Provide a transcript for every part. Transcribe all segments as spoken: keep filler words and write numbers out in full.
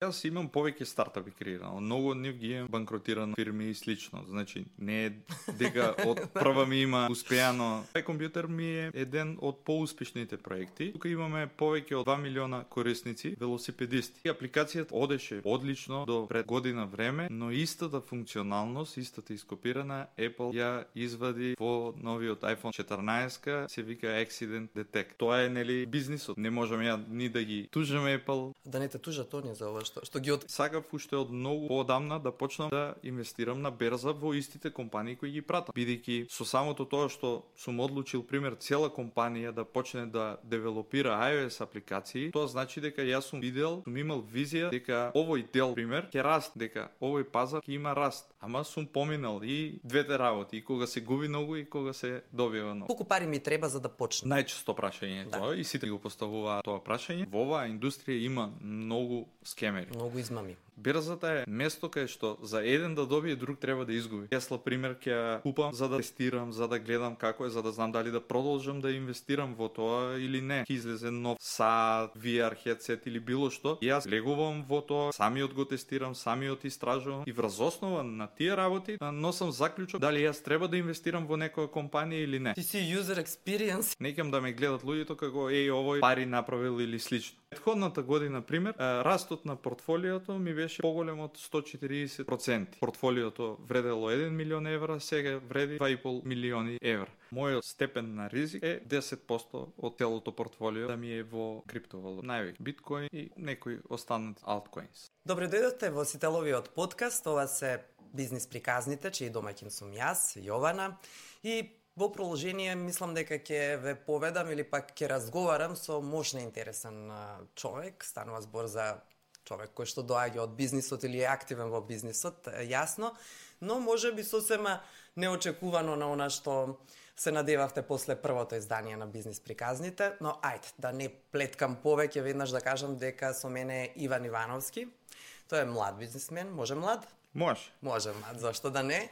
Јас имам повеќе стартапи креирано. Многу од нив ги имам банкротирано фирми и слично. Значи, не е дека од прва ми има успеано. Тај компјутер ми е еден од поуспешните проекти. Тука имаме повеќе од два милиона корисници, велосипедисти. И апликацијата одеше одлично до пред година време, но истата функционалност, истата ископирана, Apple ја извади во новиот iPhone четрнаесет, се вика Accident Detect. Тоа е, нели, бизнисот. Не можеме ја ни да ги тужиме Apple. Да не те тужат они за ова што, што ги од... Сакав уште од многу поодамна да почнам да инвестирам на берза во истите компании кои ги пратам. Бидејќи со самото тоа што сум одлучил, пример, цела компанија да почне да девелопира iOS апликации, тоа значи дека јас сум видел, сум имал визија дека овој дел, пример, ќе раст, дека овој пазар ќе има раст. Ама сум поминал и двете работи, и кога се губи многу и кога се добива многу. Колку пари ми треба за да почне? Најчесто прашање е Да. тоа и сите го поставуваат тоа прашање. Во оваа индустрија има многу скемери. Многу измами. Берзата е место кај што за еден да добие, друг треба да изгуби. Тесла, пример, ќе ја купам за да тестирам, за да гледам како е, за да знам дали да продолжам да инвестирам во тоа или не. Ќе излезе нов сад, ви ар headset или било што. И јас легувам во тоа, самиот го тестирам, самиот истражувам и врз основа на тие работи носам заклучок дали јас треба да инвестирам во некоја компанија или не. Ти си user experience. Некам да ме гледат луѓето како еј овој пари направил или слично. Предходната година, пример, растот на портфолиото ми беше поголем од сто и четириесет проценти. Портфолиото вредело еден милион евра, сега вреди два и пол милиони евра. Мојот степен на ризик е десет проценти од целото портфолио да ми е во криптовалута. Највеќе биткоин и некои останати алткоинс. Добре дојдовте во Сителовиот подкаст. Ова се бизнис приказните, чиј домаќин сум јас, Јована. И во продолжение мислам дека ќе ве поведам или пак ќе разговарам со мощно интересен човек. Станува збор за човек кој што доаѓа од бизнисот или е активен во бизнисот, јасно, но може би сосема неочекувано на она што се надевавте после првото издание на бизнис приказните, но ајде, да не плеткам повеќе, веднаш да кажам дека со мене е Иван Ивановски. Тој е млад бизнисмен, може млад? Може. Може млад, зашто да не?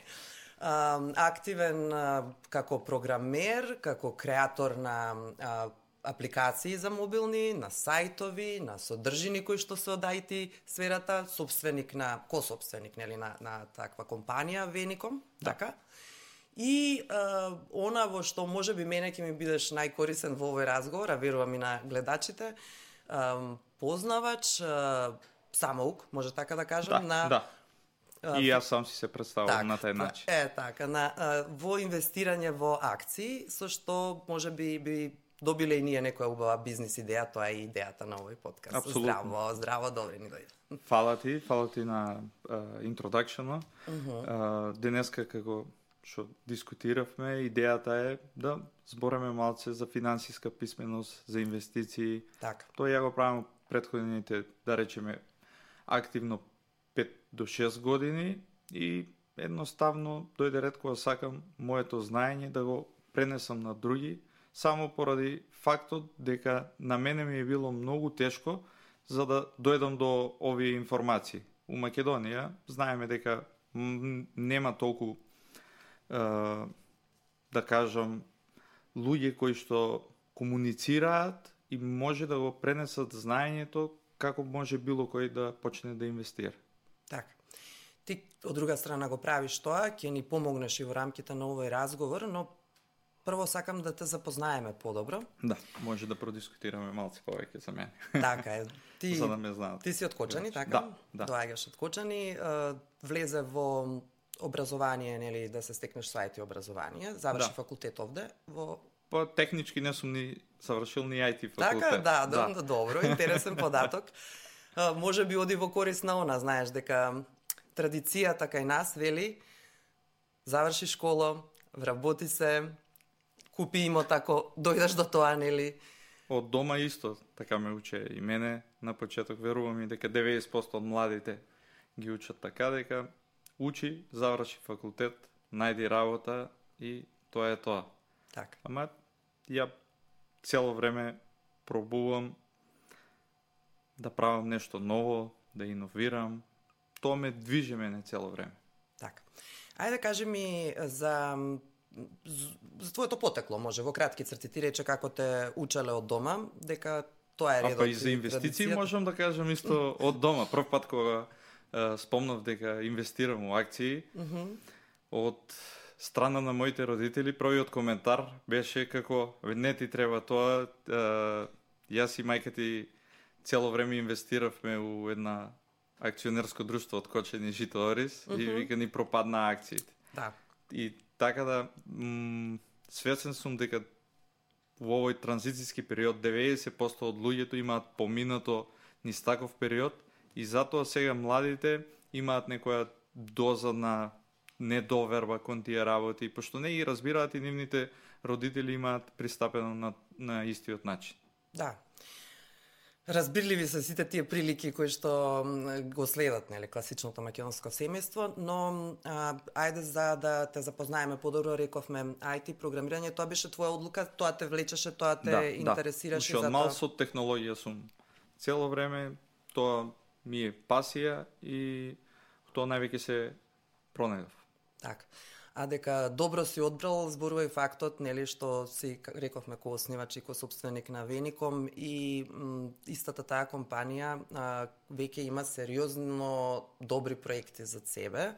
А, активен а, како програмер, како креатор на а, апликации за мобилни, на сајтови, на содржини кои што се од ай ти сферата, собственик на, ко-собственик, нели, на, на таква компанија, Веником, Да. така? И а, она во што може би мене ќе ми бидеш најкорисен во овој разговор, а верувам и на гледачите, а, познавач, а, самоук, може така да кажам, Да, на... да. И јас сам си се представувам на тај начин. Е, така, на, а, во инвестирање во акции, со што може би би добиле и ние некоја убава бизнис идеја, тоа е идејата на овој подкаст. Апсолутно. Здраво, здраво, добре ни дојде. Фала ти, фала ти на интродакшенот. Uh, денеска како што дискутиравме, идејата е да збореме малце за финансиска писменост, за инвестиции. Така. Тоа ја го правам претходните, да речеме, активно пет до шест години и едноставно дојде ред кога сакам моето знаење да го пренесам на други, само поради фактот дека на мене ми е било многу тешко за да дојдам до овие информации. У Македонија знаеме дека м, нема толку е, да кажам луѓе кои што комуницираат и може да го пренесат знаењето како може било кој да почне да инвестира. Така. Ти од друга страна го правиш тоа, ќе ни помогнеш и во рамките на овој разговор, но прво сакам да те запознаеме подобро. Да, може да продискутираме малце повеќе за мене. Така е. Ти, За да ме знаат. ти си од Кочани, така? Да, да. Доаѓаш од Кочани, е, влезе во образование, нели, да се стекнеш со ай ти образование, заврши Да. факултет овде во... Па технички не сум ни завршил ни ай ти факултет. Така, да, да, да. Добро, интересен податок. А, може би оди во корис на она, знаеш, дека традицијата кај нас вели заврши школа, вработи се, купи имот ако дојдеш до тоа, нели? Од дома исто, така ме уче и мене. На почеток верувам и дека деветдесет проценти од младите ги учат така, дека учи, заврши факултет, најди работа и тоа е тоа. Така. Ама ја цело време пробувам да правам нешто ново, да иновирам. Тоа ме движи мене цело време. Така. Ајде кажи ми за за твоето потекло, може во кратки црти. Ти рече како те учеле од дома, дека тоа е редот. А па и за инвестиции можам да кажам исто од дома. Прв пат кога uh, спомнав дека инвестирам во акции, mm-hmm. од страна на моите родители, првиот коментар беше како, не ти треба тоа, uh, јас и мајка ти цело време инвестиравме у една акционерско друштво од Кочени Жито Орис mm-hmm. и вика ни пропадна акциите. Да. И така да, м- свесен сум дека во овој транзицијски период деветдесет проценти од луѓето имаат поминато низ таков период и затоа сега младите имаат некоја доза на недоверба кон тие работи, пошто не ги разбираат и нивните родители имаат пристапено на, на истиот начин. Да. Разбирливи се сите тие прилики кои што го следат, нели, класичното македонско семејство, но а, ајде за да те запознаеме подобро, рековме ай ти програмирање, тоа беше твоја одлука, тоа те влечеше, тоа те да, интересираше да. за тоа. Мал со технологија сум. Цело време тоа ми е пасија и тоа највеќе се пронајдов. Така. А дека добро си одбрал, зборува и фактот, нели, што си рековме ко оснивач и ко собственик на Веником и м, истата таа компанија а, веќе има сериозно добри проекти за себе,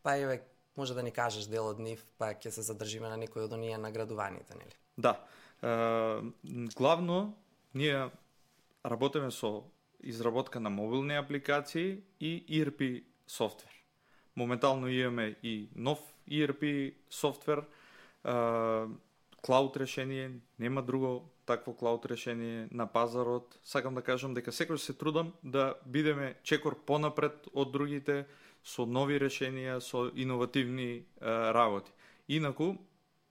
па еве може да ни кажеш дел од нив, па ќе се задржиме на некој од оние наградуваните, нели? Да. Е, главно ние работиме со изработка на мобилни апликации и и ар пи софтвер. Моментално имаме и нов и ар пи софтвер, клауд решение, нема друго такво клауд решение на пазарот. Сакам да кажам дека секој се трудам да бидеме чекор понапред од другите со нови решенија, со иновативни а, работи. Инаку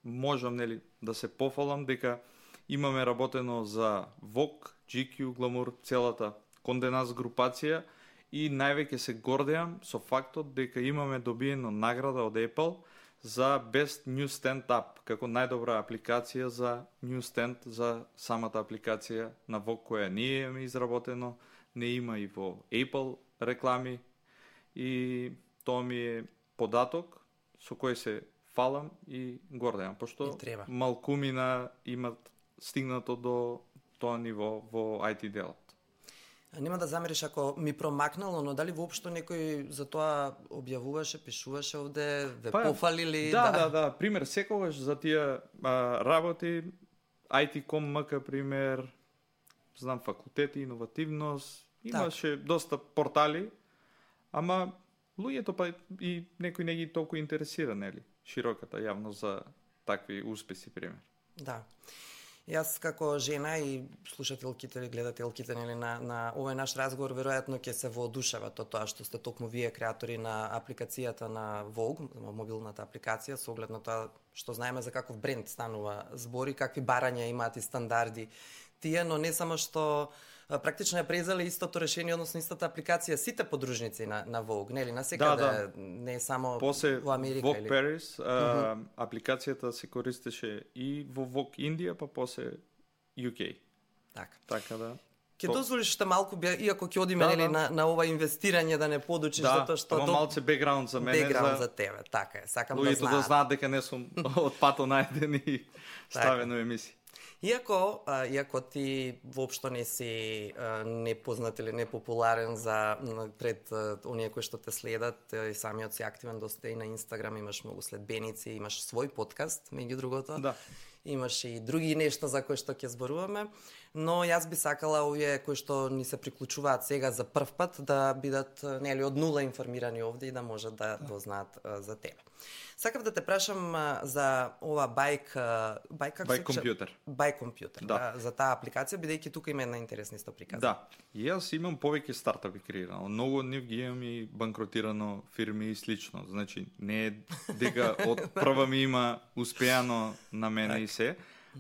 можам, нели, да се пофалам дека имаме работено за Vogue, джи кју, Glamour, целата Condé Nast групација и највеќе се гордеам со фактот дека имаме добиено награда од Apple за Best Newsstand App, како најдобра апликација за Newsstand, за самата апликација на Vogue која ние имаме изработено, не има и во Apple реклами и тоа ми е податок со кој се фалам и гордеам, пошто малкумина имат стигнато до тоа ниво во ай ти делот. Нема да замериш ако ми промакнало, но дали воопшто некој за тоа објавуваше, пишуваше овде, ве па, пофалили? Да, да, да, да. Пример, секогаш за тие а, работи, ай ти точка ком ем ка, пример, знам, факултети, иновативност, имаше так. Доста портали, ама луѓето па и некој не ги толку интересира, нели, широката јавност за такви успеси, пример. Да. Јас како жена и слушателките или гледателките, нели, на, на овој наш разговор веројатно ќе се воодушеват од тоа што сте токму вие креатори на апликацијата на Vogue, мобилната апликација, со оглед на тоа што знаеме за каков бренд станува збори, какви барања имаат и стандарди тие, но не само што практично ја презале истото решение, односно истата апликација сите подружници на, на Vogue, нели, на секаде, да, да. Не само После во Америка. Vogue или... Paris, а, uh-huh. апликацијата се користеше и во Vogue Индија, па после ю кей. Така. Така да. Ке то... дозволиш што малку, иако ќе одиме, да, нели, да. на, на ова инвестирање, да не подучиш, да, затоа што... Да, ама малце бекграунд за мене. Бекграунд за... за тебе, така е. Сакам Луѓето да знаат. да знаат дека не сум од пато најден и ставено емисија. Иако, а, иако ти воопшто не си а, непознат или непопуларен за пред а, оние кои што те следат, и самиот си активен доста и на Инстаграм, имаш многу следбеници, имаш свој подкаст, меѓу другото. Да. Имаш и други нешта за кои што ќе зборуваме, но јас би сакала овие кои што ни се приклучуваат сега за прв пат да бидат, нели, од нула информирани овде и да можат да дознаат да. за тебе. Сакав да те прашам а, за ова байк, байк како байк компјутер. Байк компјутер, да. За таа апликација, бидејќи тука има една интересна исто приказна. Да. И јас имам повеќе стартапи креирано. Многу од нив ги имам и банкротирано фирми и слично. Значи, не е дека од прва ми има успеано на мене так. И се.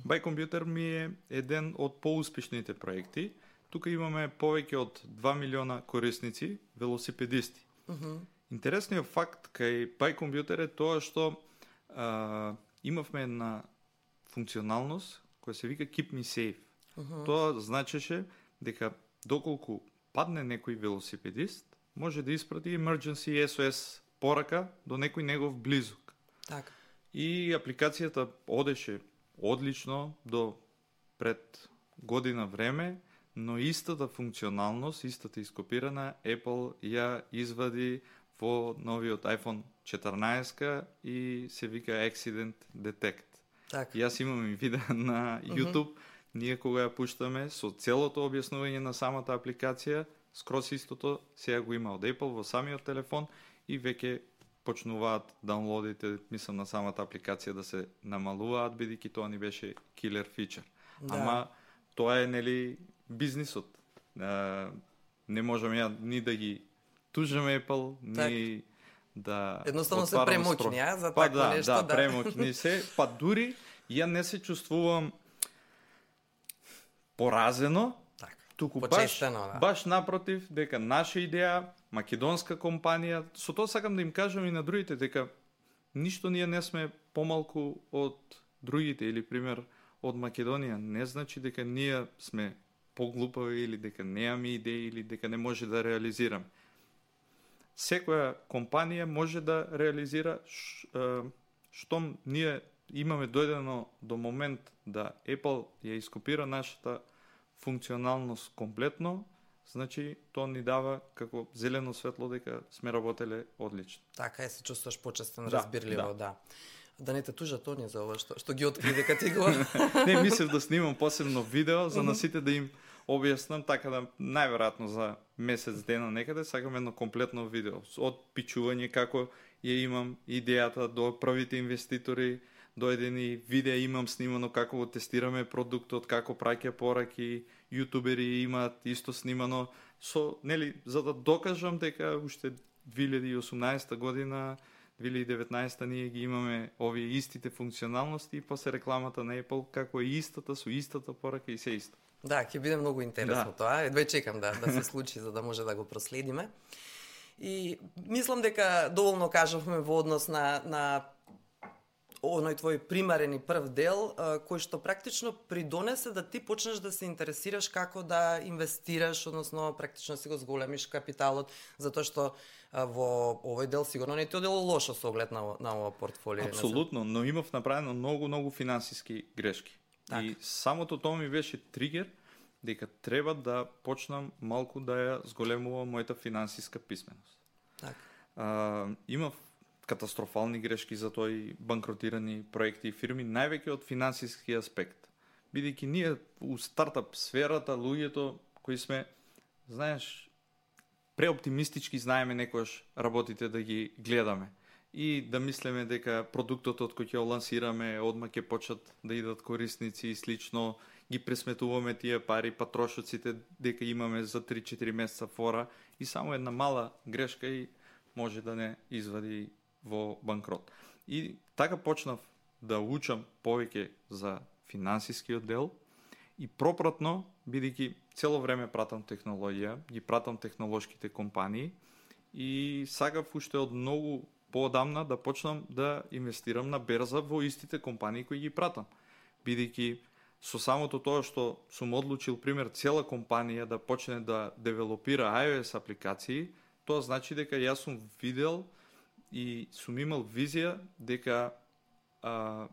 Байк компјутер ми е еден од поуспешните проекти. Тука имаме повеќе од два милиона корисници, велосипедисти. Uh-huh. Интересниот факт кај Байк компјутер е тоа што а, имавме една функционалност која се вика Keep Me Safe. Uh-huh. Тоа значеше дека доколку падне некој велосипедист, може да испрати emergency ес о ес порака до некој негов близок. Така. И апликацијата одеше одлично до пред година време, но истата функционалност, истата ископирана, Apple ја извади во новиот iPhone четрнаесет и се вика Accident Detect. Так. Јас имам и видео на YouTube, mm-hmm. ние кога ја пуштаме со целото објаснување на самата апликација, скрос истото сега го има од Apple во самиот телефон и веќе почнуваат даунлодите, мислам, на самата апликација да се намалуваат, бидејќи тоа ни беше килер фичер. Да. Ама тоа е, нели, бизнисот. А, не можеме ја ни да ги тужиме Apple, так. Ни да едноставно се премокни, а, за па, такво да, нешто, да. Да, премокни се, па дури ја не се чувствувам поразено, так. туку баш, да. баш напротив, дека наша идеја, македонска компанија, со тоа сакам да им кажам и на другите, дека ништо ние не сме помалку од другите, или пример од Македонија, не значи дека ние сме поглупави или дека немаме идеи или дека не може да реализираме. Секоја компанија може да реализира ш, е, штом ние имаме дојдено до момент да Apple ја ископира нашата функционалност комплетно, значи тоа ни дава како зелено светло дека сме работеле одлично. Така е, се чувствуваш почестен, да, разбирливо, да. да. Да не те тужат они за ова што што ги откри дека ти го. Не, мислев да снимам посебно видео за на сите да им објаснам, така да најверојатно за месец дена некаде сакам едно комплетно видео од пичување како ја имам идејата до првите инвеститори, до едени видеа имам снимано како го тестираме продуктот, како праќа пораки, јутубери имаат исто снимано со, нели, за да докажам дека уште две илјади и осумнаесета година, две илјади и деветнаесета ние ги имаме овие истите функционалности и после рекламата на Apple како е истата со истата порака и се исто. Да, ќе биде многу интересно да. Тоа. Едвај чекам да да се случи за да може да го проследиме. И мислам дека доволно кажавме во однос на на оној твој примарен и прв дел, кој што практично придонесе да ти почнеш да се интересираш како да инвестираш, односно практично си го зголемиш капиталот, затоа што во овој дел сигурно не ти одело лошо со оглед на, на ова портфолио. Апсолутно, но имав направено многу, многу финансиски грешки. Так. И самото тоа ми беше тригер дека треба да почнам малку да ја зголемувам мојата финансиска писменост. Так. А, имав катастрофални грешки за тој банкротирани проекти и фирми, највеќе од финансиски аспект. Бидејќи ние у стартап сферата, луѓето кои сме, знаеш, преоптимистички знаеме некојаш работите да ги гледаме и да мислиме дека продуктот од кој ќе лансираме одма ќе почнат да идат корисници и слично, ги пресметуваме тие пари, па трошоците дека имаме за три-четири месеца фора и само една мала грешка и може да не извади во банкрот. И така почнав да учам повеќе за финансискиот дел и пропратно, бидејќи цело време пратам технологија, ги пратам технолошките компании и сакав уште од многу поодамна да почнам да инвестирам на берза во истите компании кои ги пратам. Бидејќи со самото тоа што сум одлучил, пример, цела компанија да почне да девелопира iOS апликации, тоа значи дека јас сум видел и сум имал визија дека а,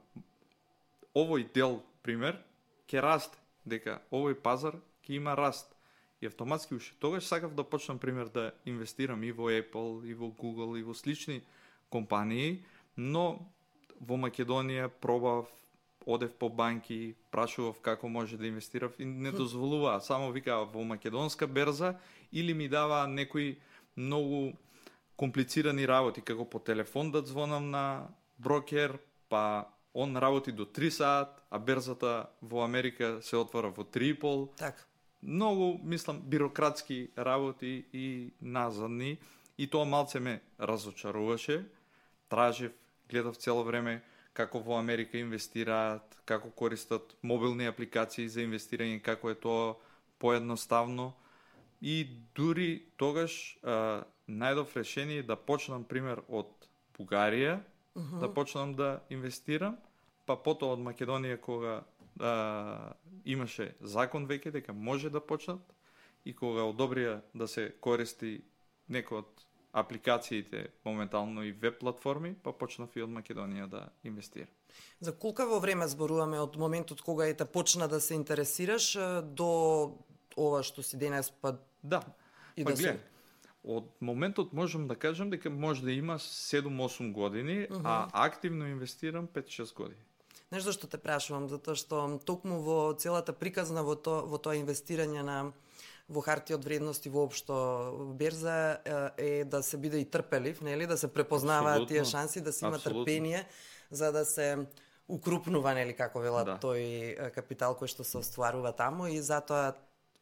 овој дел, пример, ќе расте, дека овој пазар ќе има раст. И автоматски уште тогаш сакав да почнам, пример, да инвестирам и во Apple, и во Google, и во слични компании, но во Македонија пробав, одев по банки, прашував како може да инвестирав и не дозволува. Само викаа во македонска берза или ми дава некои многу комплицирани работи, како по телефон да звонам на брокер, па он работи до три саат, а берзата во Америка се отвора во три и пол. Так. Многу, мислам, бирократски работи и назадни, и тоа малце ме разочаруваше. Тражив, гледав цело време како во Америка инвестираат, како користат мобилни апликации за инвестирање, како е тоа поедноставно. И дури тогаш а, најдов решение да почнам, пример, од Бугарија, uh-huh. да почнам да инвестирам, па потоа од Македонија кога а, имаше закон веќе дека може да почнат и кога одобрија да се користи некој од апликациите моментално и веб платформи, па почнав и од Македонија да инвестирам. За колку во време зборуваме од моментот кога ете почна да се интересираш до ова што си денес, па Да. и Па да гледај, се... од моментот можам да кажам дека може да има седум-осум години, а активно инвестирам пет-шест години. Знаеш зашто те прашувам? Затоа што токму во целата приказна во тоа во тоа инвестирање на во хартија од вредности воопшто берза е да се биде и трпелив, нели, да се препознаваат Апсолутно. тие шанси, да се има Апсолутно. трпение за да се укрупнува, нели, како велат, Да. тој капитал кој што се остварува таму, и затоа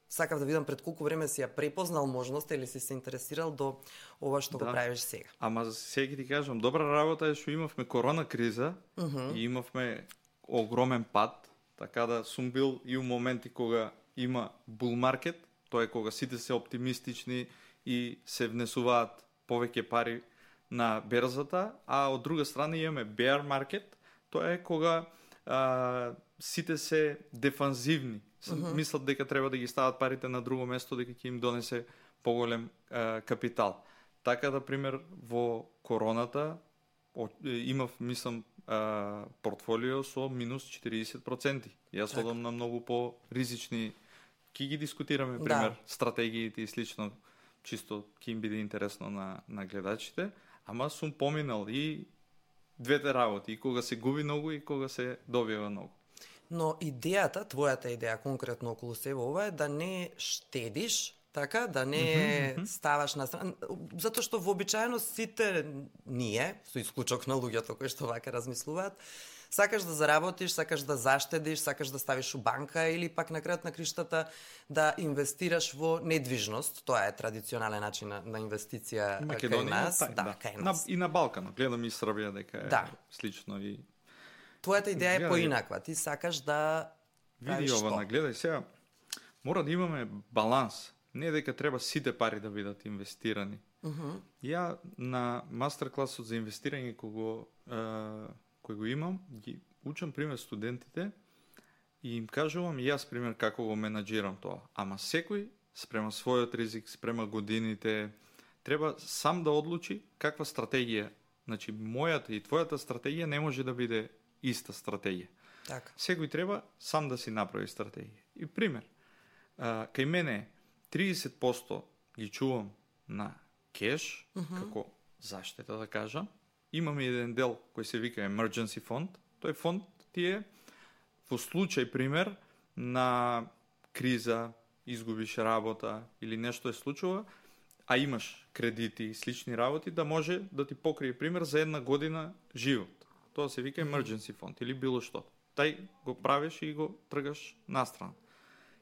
сакав да видам пред колку време си ја препознал можност или си се интересирал до ова што Да. го правиш сега. Ама сега ти кажам, добра работа е што имавме корона криза и имавме огромен пад, така да сум бил и у моменти кога има бул маркет, тоа е кога сите се оптимистични и се внесуваат повеќе пари на берзата, а од друга страна имаме bear market, тоа е кога а, сите се дефанзивни. Uh-huh. Мислат дека треба да ги стават парите на друго место, дека ќе им донесе поголем а, капитал. Така да, пример, во короната о, имав, мислам, а, портфолио со минус четириесет проценти. Јас Така. одам на многу по-ризични, ки ги дискутираме, пример, Да. стратегиите и слично, чисто ки им биде интересно на, на гледачите, ама сум поминал и двете работи, и кога се губи многу и кога се добива многу. Но идејата, твојата идеја конкретно околу себе ова е да не штедиш, така, да не Мгм, мгм. ставаш на страна, затоа што вообичаено сите ние, со исклучок на луѓето кои што вака размислуваат, сакаш да заработиш, сакаш да заштедиш, сакаш да ставиш у банка или пак на крајот на криштата да инвестираш во недвижност. Тоа е традиционален начин на, на инвестиција кај нас, тај, да, кај На, нас. и на Балканот, гледам и Србија дека е Да. слично и Твојата идеја е Гледај. поинаква. Ти сакаш да види правиш ова, што? нагледај сега. Мора да имаме баланс. Не дека треба сите пари да бидат инвестирани. Мгм. Ја на мастер класот за инвестирање кој го е, кој го имам, ги учам пример студентите и им кажувам и јас пример како го менаџирам тоа. Ама секој спрема својот ризик, спрема годините, треба сам да одлучи каква стратегија. Значи мојата и твојата стратегија не може да биде иста стратегија. Така. Секој треба сам да си направи стратегија. И пример, а, кај мене триесет проценти ги чувам на кеш, Мгм. како заштета да кажам. Имаме еден дел кој се вика emergency фонд. Тој фонд ти е во случај, пример, на криза, изгубиш работа или нешто е случува, а имаш кредити и слични работи, да може да ти покрие, пример, за една година живот. Тоа се вика emergency фонд или било што. Тај го правиш и го тргаш настрана.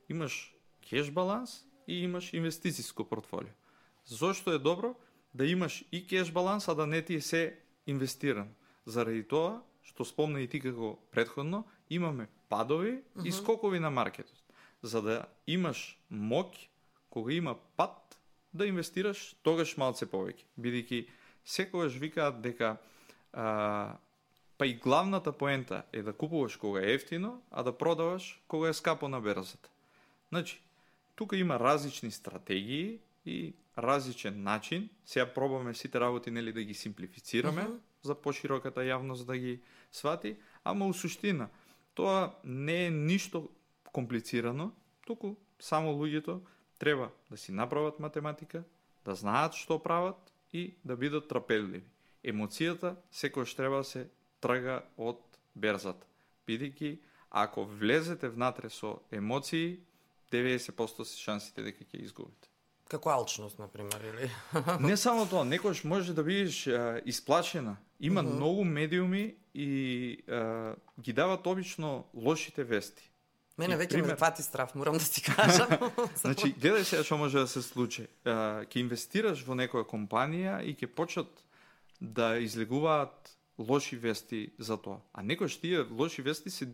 Имаш кеш баланс и имаш инвестицијско портфолио. Зошто е добро да имаш и кеш баланс, а да не ти е се инвестиран? Заради тоа, што спомна и ти како предходно, имаме падови и скокови на маркетот. За да имаш моќ, кога има пад, да инвестираш тогаш малце повеќе. Бидејќи секогаш викаат дека а, па и главната поента е да купуваш кога е ефтино, а да продаваш кога е скапо на берзата. Значи, тука има различни стратегии и различен начин. Сега пробаме сите работи, нели, да ги симплифицираме Мгм. за пошироката јавност да ги свати, ама у суштина тоа не е ништо комплицирано, туку само луѓето треба да си направат математика, да знаат што прават и да бидат трпеливи. Емоцијата секојаш треба да се трга од берзата. Бидејќи ако влезете внатре со емоции, деветдесет проценти се шансите дека ќе изгубите. Како алчност, например, или? Не само тоа, некојаш може да бидеш а, исплашена. Има Мгм. многу медиуми и а, ги дават обично лошите вести. Мене И веќе пример- ме фати страв, морам да ти кажам. Значи, гледај сега што може да се случи. А, ќе инвестираш во некоја компанија и ќе почнат да излегуваат лоши вести за тоа. А некојаш тие лоши вести се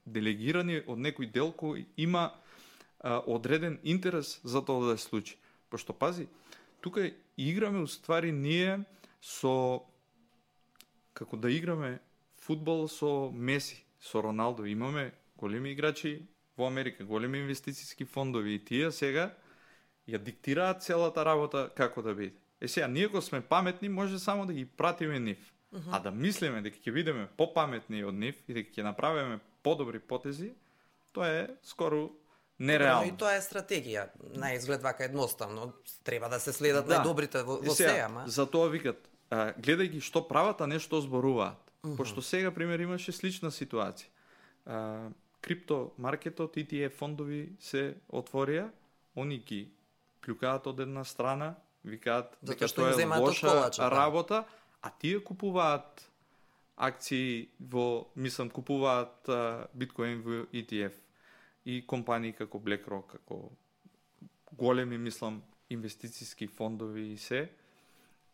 делегирани од некој дел кој има а, одреден интерес за тоа да се случи. Пошто пази, тука играме уствари ние со како да играме фудбал со Меси, со Роналдо. Имаме големи играчи во Америка, големи инвестицијски фондови и тие сега ја диктираат целата работа како да биде. Е сега, ние ако сме паметни, може само да ги пратиме нив. А да мислиме дека ќе бидеме попаметни од нив и дека ќе направиме подобри потези, тоа е скоро нереално. И тоа е стратегија. На изглед вака едноставно. Треба да се следат да. најдобрите во, во сега, сеја, ама. За тоа викат, а, гледајќи што прават, а не што зборуваат. Uh-huh. Пошто сега, пример, имаше слична ситуација. А, крипто маркетот, и ти еф фондови се отворија, они ги плюкаат од една страна, викаат дека тоа е лоша работа, а тие купуваат акции во, мислам, купуваат а, биткоин во и ти еф и компании како BlackRock, како големи, мислам, инвестициски фондови и се.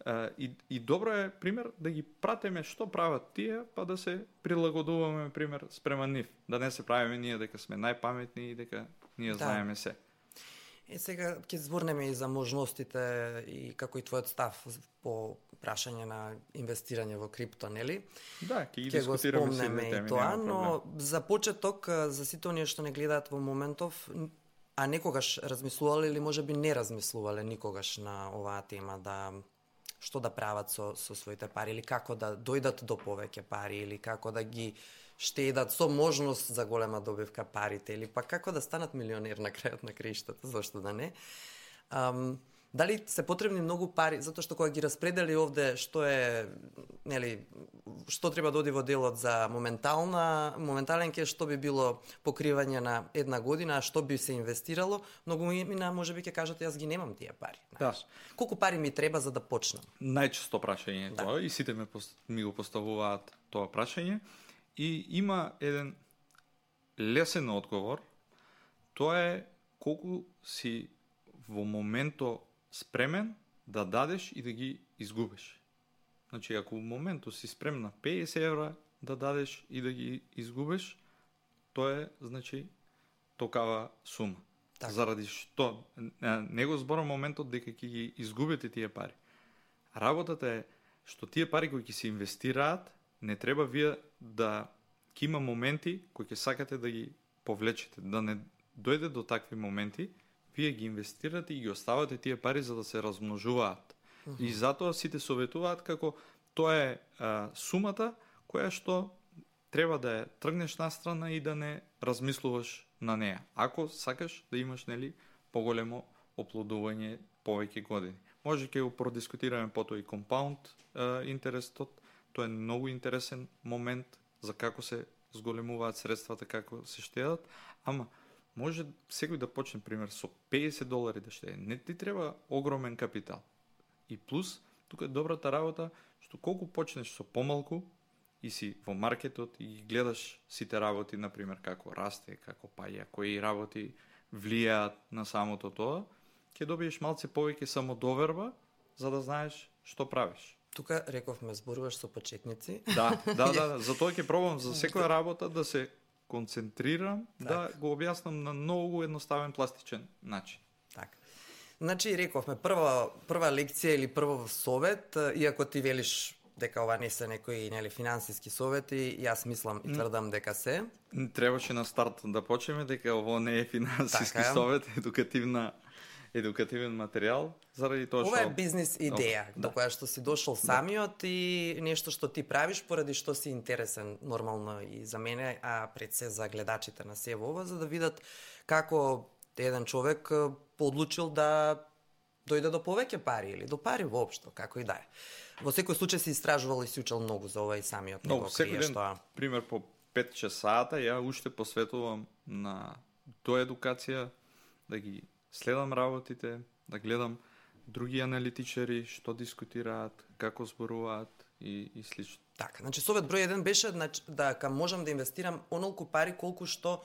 Uh, и, и добро е, пример, да ги пратиме што прават тие, па да се прилагодуваме, пример, спрема нив. Да не се правиме ние дека сме најпаметни и дека ние да. знаеме се. Е, сега ќе зборнеме и за можностите и како и твојот став по прашање на инвестирање во крипто, нели? Да, ќе ги ќе дискутираме сите теми, и тоа, но за почеток, за сите оние што не гледаат во моментов, а некогаш размислувале или можеби не размислувале никогаш на оваа тема, да што да прават со, со своите пари, или како да дојдат до повеќе пари, или како да ги штедат со можност за голема добивка парите, или па како да станат милионер на крајот на краиштата, зошто да не. Ам, дали се потребни многу пари, затоа што кога ги распредели овде што е, нели, што треба да оди во делот за моментална, моментален кеш, што би било покривање на една година, а што би се инвестирало, многу мина можеби ќе кажат јас ги немам тие пари. Да. Колку пари ми треба за да почнам? Најчесто прашање е да. тоа и сите ме ми го поставуваат тоа прашање и има еден лесен одговор. Тоа е колку си во моментот спремен да дадеш и да ги изгубиш. Значи, ако во моментот си спремна петдесет евра да дадеш и да ги изгубиш, тоа е, значи, токава сума. Так. Заради што не го зборам моментот дека ќе ги изгубите тие пари. Работата е што тие пари кои ќе се инвестираат, не треба вие да ќе има моменти кои ќе сакате да ги повлечете, да не дојде до такви моменти, вие ги инвестирате и ги оставате тие пари за да се размножуваат. Uh-huh. И затоа сите советуваат како тоа е а, сумата која што треба да ја тргнеш настрана и да не размислуваш на неа. Ако сакаш да имаш, нели, поголемо оплодување повеќе години. Може ќе го продискутираме потоа и компаунд интересот. Тоа е многу интересен момент за како се зголемуваат средствата, како се штедат, ама може секој да почне, пример, со петдесет долари да штеде. Не ти треба огромен капитал. И плюс, тука е добрата работа, што колку почнеш со помалку и си во маркетот и ги гледаш сите работи, например, како расте, како паѓа, кои работи влијаат на самото тоа, ќе добиеш малце повеќе самодоверба, за да знаеш што правиш. Тука рековме зборуваш со почетници. Да, да, да, да. Затоа ќе пробам за секоја работа да се концентрирам, так. Да го објаснам на многу едноставен пластичен начин. Так. Значи, рековме, прва, прва лекција или прво совет, иако ти велиш дека ова не се некои, нели, финансиски совети, јас мислам и тврдам дека се. Требаше на старт да почнеме дека ово не е финансиски така, совет, едукативна едукативен материјал, заради тоа што... Ова е бизнес идеја, до која што си дошол самиот да. И нешто што ти правиш поради што си интересен нормално и за мене, а пред се за гледачите на се ова, за да видат како еден човек одлучил да дојде до повеќе пари или до пари воопшто, како и да е. Во секој случај си истражувал и си учел многу за ова и самиот не го криеш тоа. Пример по пет-шест сата ја уште посветувам на тоа едукација, да ги следам работите, да гледам други аналитичари што дискутираат, како зборуваат и, и слично. Така, значи совет број еден беше да ка можам да инвестирам онолку пари колку што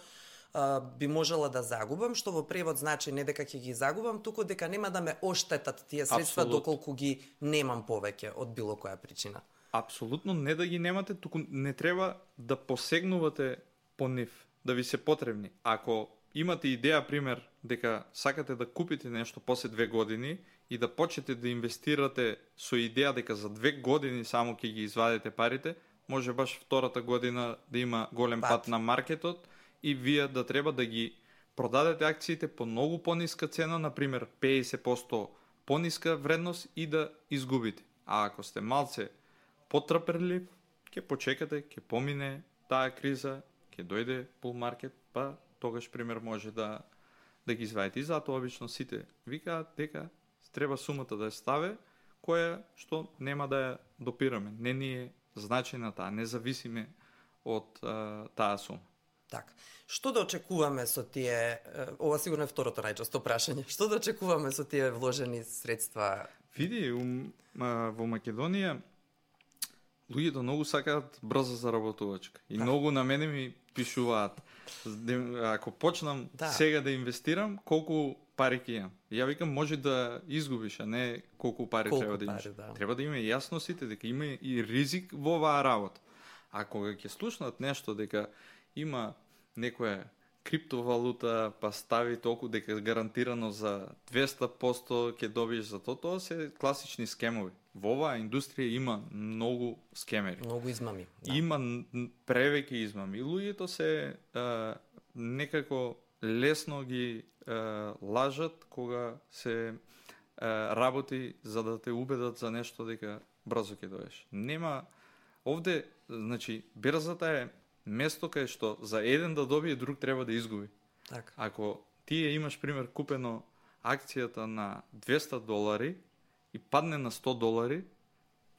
а, би можела да загубам, што во превод значи не дека ќе ги загубам, туку дека нема да ме оштетат тие средства Абсолют. Доколку ги немам повеќе од било која причина. Апсолутно не да ги немате, туку не треба да посегнувате по нив, да ви се потребни. Ако имате идеја, пример, дека сакате да купите нешто после две години и да почнете да инвестирате со идеја дека за две години само ќе ги извадите парите, може баш втората година да има голем пат, пат на маркетот и вие да треба да ги продадете акциите по многу пониска цена, например петдесет проценти пониска вредност и да изгубите. А ако сте малце потрпелив, ќе почекате, ќе помине таа криза, ќе дојде bull market, па тогаш пример може да да ги извадите. И затоа обично сите викаат дека треба сумата да ја ставе, која што нема да ја допираме. Не ни е значајна таа, не зависиме од а, таа сума. Така. Што да очекуваме со тие, ова сигурно е второто најчесто прашање, што да очекуваме со тие вложени средства? Види, um, а, во Македонија луѓето многу сакаат брза заработувачка. И да. Многу на мене ми пишуваат. Ако почнам да. Сега да инвестирам, колку пари ќе имам? Ја викам, може да изгубиш, а не колку пари колку треба да имаш. Пари, да. Треба да има јасно сите дека има и ризик во оваа работа. Ако ќе слушнат нешто дека има некоја криптовалута, па стави толку дека гарантирано за двесте проценти ќе добиеш за тоа, тоа се класични скемови. Во оваа индустрија има многу скемери. Многу измами. Да. Има превеќе измами. Луѓето се а, некако лесно ги а, лажат кога се а, работи за да те убедат за нешто дека брзо ќе доеш. Нема овде, значи, берзата е место кај што за еден да добие, друг треба да изгуби. Так. Ако тие имаш, пример, купено акцијата на двесте долари и падне на сто долари,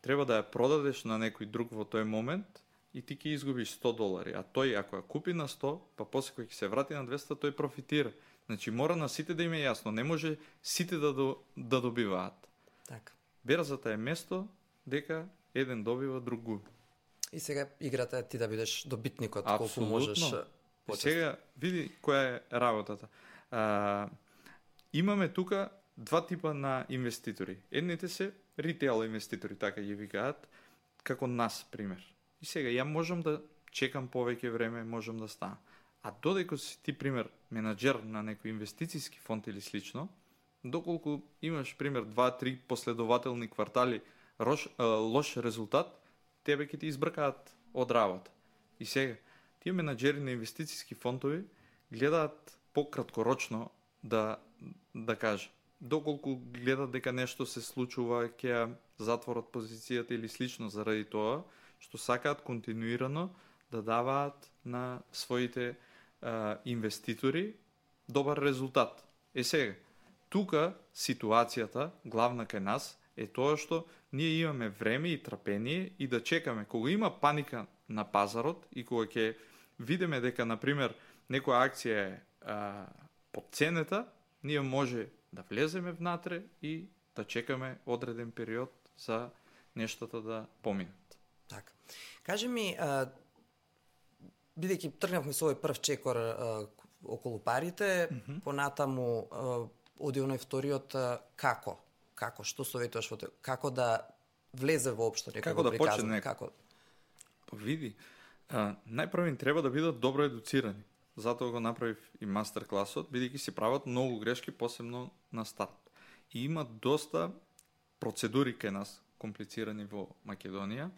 треба да ја продадеш на некој друг во тој момент и ти ќе изгубиш сто долари. А тој, ако ја купи на сто, па после кој ќе се врати на двесте, тој профитира. Значи, мора на сите да им е јасно. Не може сите да, до, да добиваат. Так. Берзата е место дека еден добива, друг губи. И сега играта е ти да бидеш добитникот, колку можеш. И сега, види која е работата. А, имаме тука два типа на инвеститори. Едните се ритейл инвеститори, така ги викаат, како нас, пример. И сега, ја можам да чекам повеќе време, можам да станам. А додека си ти, пример, менаџер на некој инвестицијски фонд или слично, доколку имаш, пример, два-три последователни квартали рош, а, лош резултат, тебе ќе ти избркаат од работа. И сега, тие менаџери на инвестицијски фондови гледаат пократкорочно да, да кажа. Доколку гледат дека нешто се случува, ќе ја затворат позицијата или слично заради тоа, што сакаат континуирано да даваат на своите а, инвеститори добар резултат. Е сега, тука ситуацијата, главна кај нас, е тоа што ние имаме време и трпение и да чекаме. Кога има паника на пазарот и кога ќе видиме дека, например, некоја акција е а, под цената, ние може да влеземе внатре и да чекаме одреден период за нештата да поминат. Така. Кажи ми, а, бидејќи тргнавме со овој прв чекор а, околу парите, mm-hmm. понатаму а, оди оној вториот а, како? Како, што советуваш во тоа? Како да влезе воопшто некој како да приказан? Почне Како? Па види, а, најпрво треба да бидат добро едуцирани. Затоа го направив и мастер класот, бидејќи се прават многу грешки, посебно на старт. И има доста процедури кај нас, комплицирани во Македонија,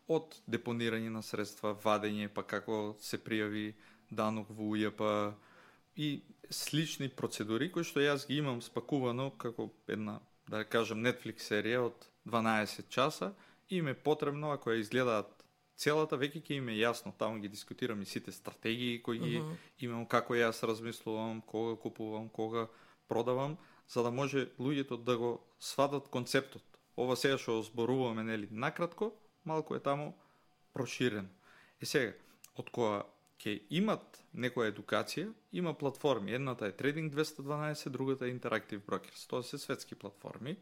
од депонирање на средства, вадење, па како се пријави данок во УЈП и слични процедури кои што јас ги имам спакувано како една, да кажам, Netflix серија од дванаесет часа и им е потребно, ако ја изгледаат целата, веќе ќе им е јасно, таму ги дискутирам и сите стратегии кои ги uh-huh. имам, како јас размислувам, кога купувам, кога продавам, за да може луѓето да го сватат концептот. Ова сега што зборуваме, нели, накратко, малку е таму проширено. И сега, од која ќе имат некоја едукација, има платформи. Едната е Trading двесте дванаесет, другата е Interactive Brokers. Тоа се светски платформи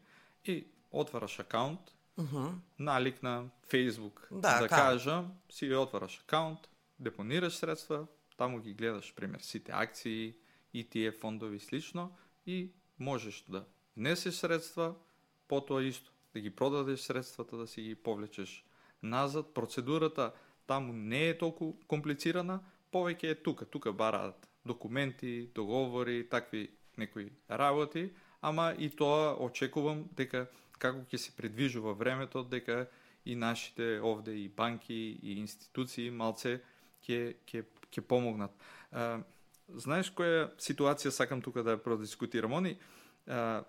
и отвараш акаунт, uh-huh. налик на Facebook, да, да кажам, си отвараш акаунт, депонираш средства, таму ги гледаш, пример, сите акции, и ти еф фондови слично и можеш да внесеш средства, потоа исто, да ги продадеш средствата, да си ги повлечеш назад. Процедурата таму не е толку комплицирана, повеќе е тука. Тука бараат документи, договори, такви некои работи, ама и тоа очекувам дека како ќе се придвижува времето, дека и нашите овде и банки и институции малце ќе ќе ќе помогнат. А, знаеш која ситуација сакам тука да ја продискутирам? Они а,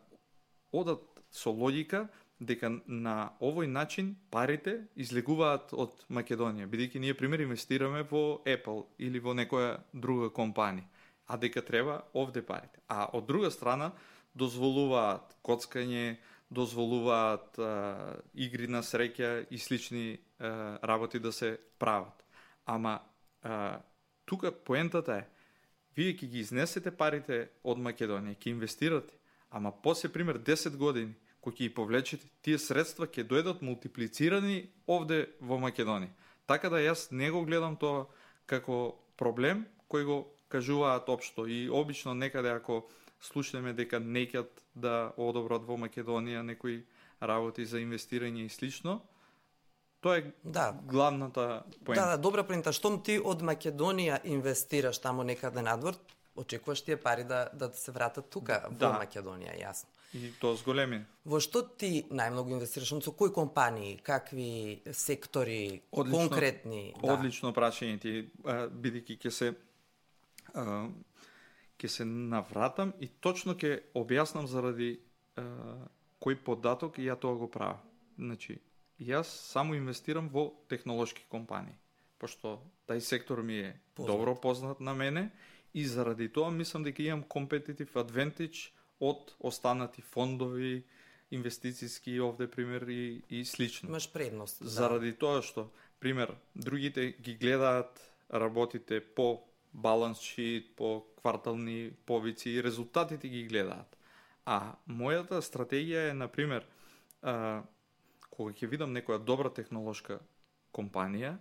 одат со логика дека на овој начин парите излегуваат од Македонија, бидејќи ние пример инвестираме во Apple или во некоја друга компанија. а дека треба овде парите. А од друга страна дозволуваат коцкање, дозволуваат а, игри на среќа и слични а, работи да се прават. Ама а, тука поентата е, вие ќе ги изнесете парите од Македонија, ќе инвестирате, ама после пример десет години, кој ќе ги повлечете, тие средства ќе дојдат мултиплицирани овде во Македонија. Така да јас не го гледам тоа како проблем кој го кажуваат општо и обично некаде ако слушнеме дека неќат да одобрат во Македонија некои работи за инвестирање и слично, тоа е да. главната поента. Да, да, добра поента. Штом ти од Македонија инвестираш таму некаде надвор, очекуваш тие пари да, да се вратат тука во да. Македонија, јасно. И тоа зголеми. Во што ти најмногу инвестираш? Со кои компании, какви сектори, Одлично, конкретни? Да. Одлично прашање ти, бидејќи ќе се а, ќе се навратам и точно ќе објаснам заради а, кој податок и ја тоа го правам. Значи, јас само инвестирам во технолошки компании, пошто тај сектор ми е познат. Добро познат на мене и заради тоа мислам дека имам competitive advantage од останати фондови, инвестициски овде пример и, и слично. Имаш предност. Заради да. тоа што, пример, другите ги гледаат работите по баланс шит, по квартални повици и резултатите ги гледаат. А мојата стратегија е, например, а, кога ќе видам некоја добра технолошка компанија,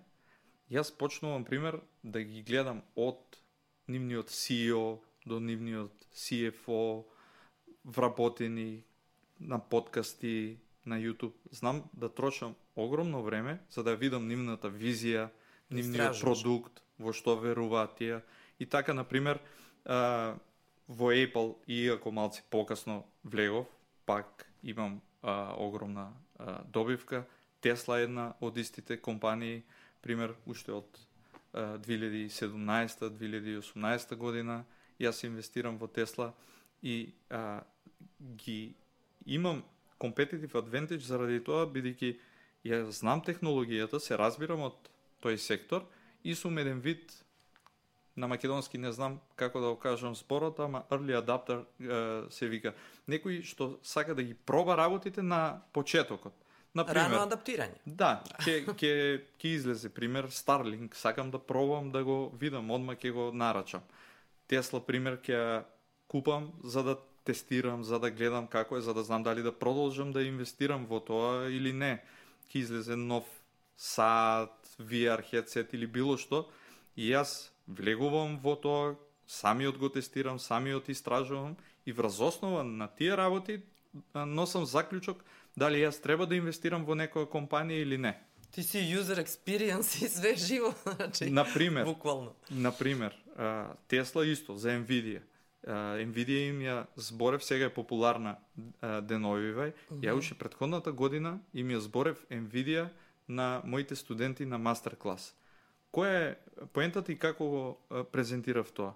јас почнувам, пример, да ги гледам од нивниот си и о до нивниот си еф о, вработени на подкасти, на YouTube. Знам да трошам огромно време за да видам нивната визија, нивниот продукт, во што веруваат тие. И така, например, а, во Apple, иако малци покасно влегов, пак имам а, огромна а, добивка. Tesla е една од истите компании, пример, уште од а, две илјади и седумнаесета - две илјади и осумнаесета година, јас инвестирам во Tesla и а, ги имам competitive advantage заради тоа, бидејќи ја знам технологијата, се разбирам од тој сектор и сум еден вид, на македонски не знам како да го кажам зборот, ама early adapter е, се вика. Некој што сака да ги проба работите на почетокот. Например, рано адаптирање. Да, ќе ќе ќе излезе пример Starlink, сакам да пробам да го видам, одма ќе го нарачам. Tesla пример ќе купам за да тестирам, за да гледам како е, за да знам дали да продолжам да инвестирам во тоа или не. Ќе излезе нов сат, ви ар headset или било што и јас влегувам во тоа, самиот го тестирам, самиот истражувам и врз основа на тие работи носам заклучок дали јас треба да инвестирам во некоја компанија или не. Ти си user experience и све живо, значи. Например, буквално. Например, Tesla исто за Nvidia. Nvidia им ја зборев, сега е популарна деновивај. Mm-hmm. Ја уште претходната година им ја зборев Nvidia на моите студенти на мастер клас. Која е поентата и како го презентирав тоа?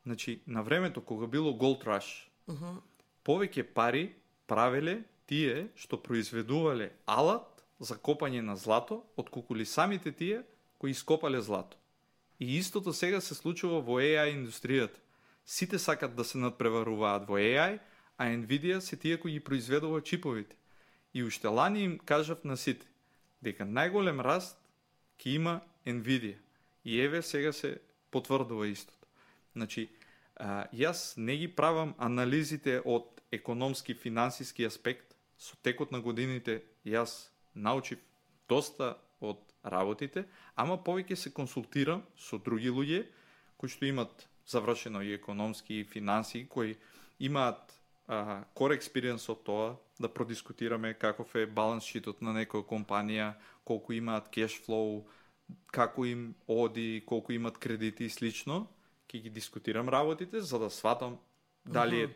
Значи, на времето кога било Gold Rush, uh-huh. повеќе пари правеле тие што произведувале алат за копање на злато, отколку самите тие кои ископале злато. И истото сега се случува во еј ај индустријата. Сите сакат да се надпреваруваат во еј ај, а Nvidia се тие кои ги произведува чиповите. И уште лани им кажав на сите дека најголем раст ќе има Nvidia. И еве сега се потврдува истото. Значи, а, јас не ги правам анализите од економски, финансиски аспект. Со текот на годините јас научив доста од работите, ама повеќе се консултирам со други луѓе кои што имат завршено и економски и финанси, кои имаат а, core experience од тоа, да продискутираме каков е баланс шитот на некоја компанија, колку имаат cash flow, како им оди, колку имат кредити и слично, ќе ги дискутирам работите за да сватам дали е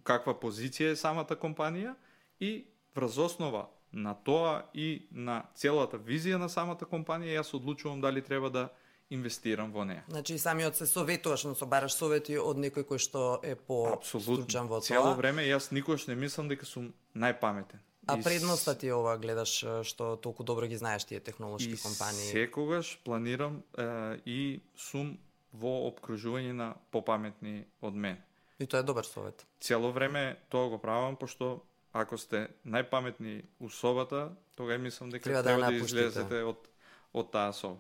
каква позиција е самата компанија и врз основа на тоа и на целата визија на самата компанија јас одлучувам дали треба да инвестирам во неа. Значи самиот се советуваш, но собараш совети од некој кој што е по-стручен во тоа. Цело време јас никогаш не мислам дека сум најпаметен. А предноста ти ова гледаш што толку добро ги знаеш тие технолошки и компании? Секогаш планирам е, и сум во обкружување на попаметни од мене. И тоа е добар совет. Цело време тоа го правам, пошто ако сте најпаметни у собата, тогаш мислам дека Треба треба да да, ја излезете од од таа соба.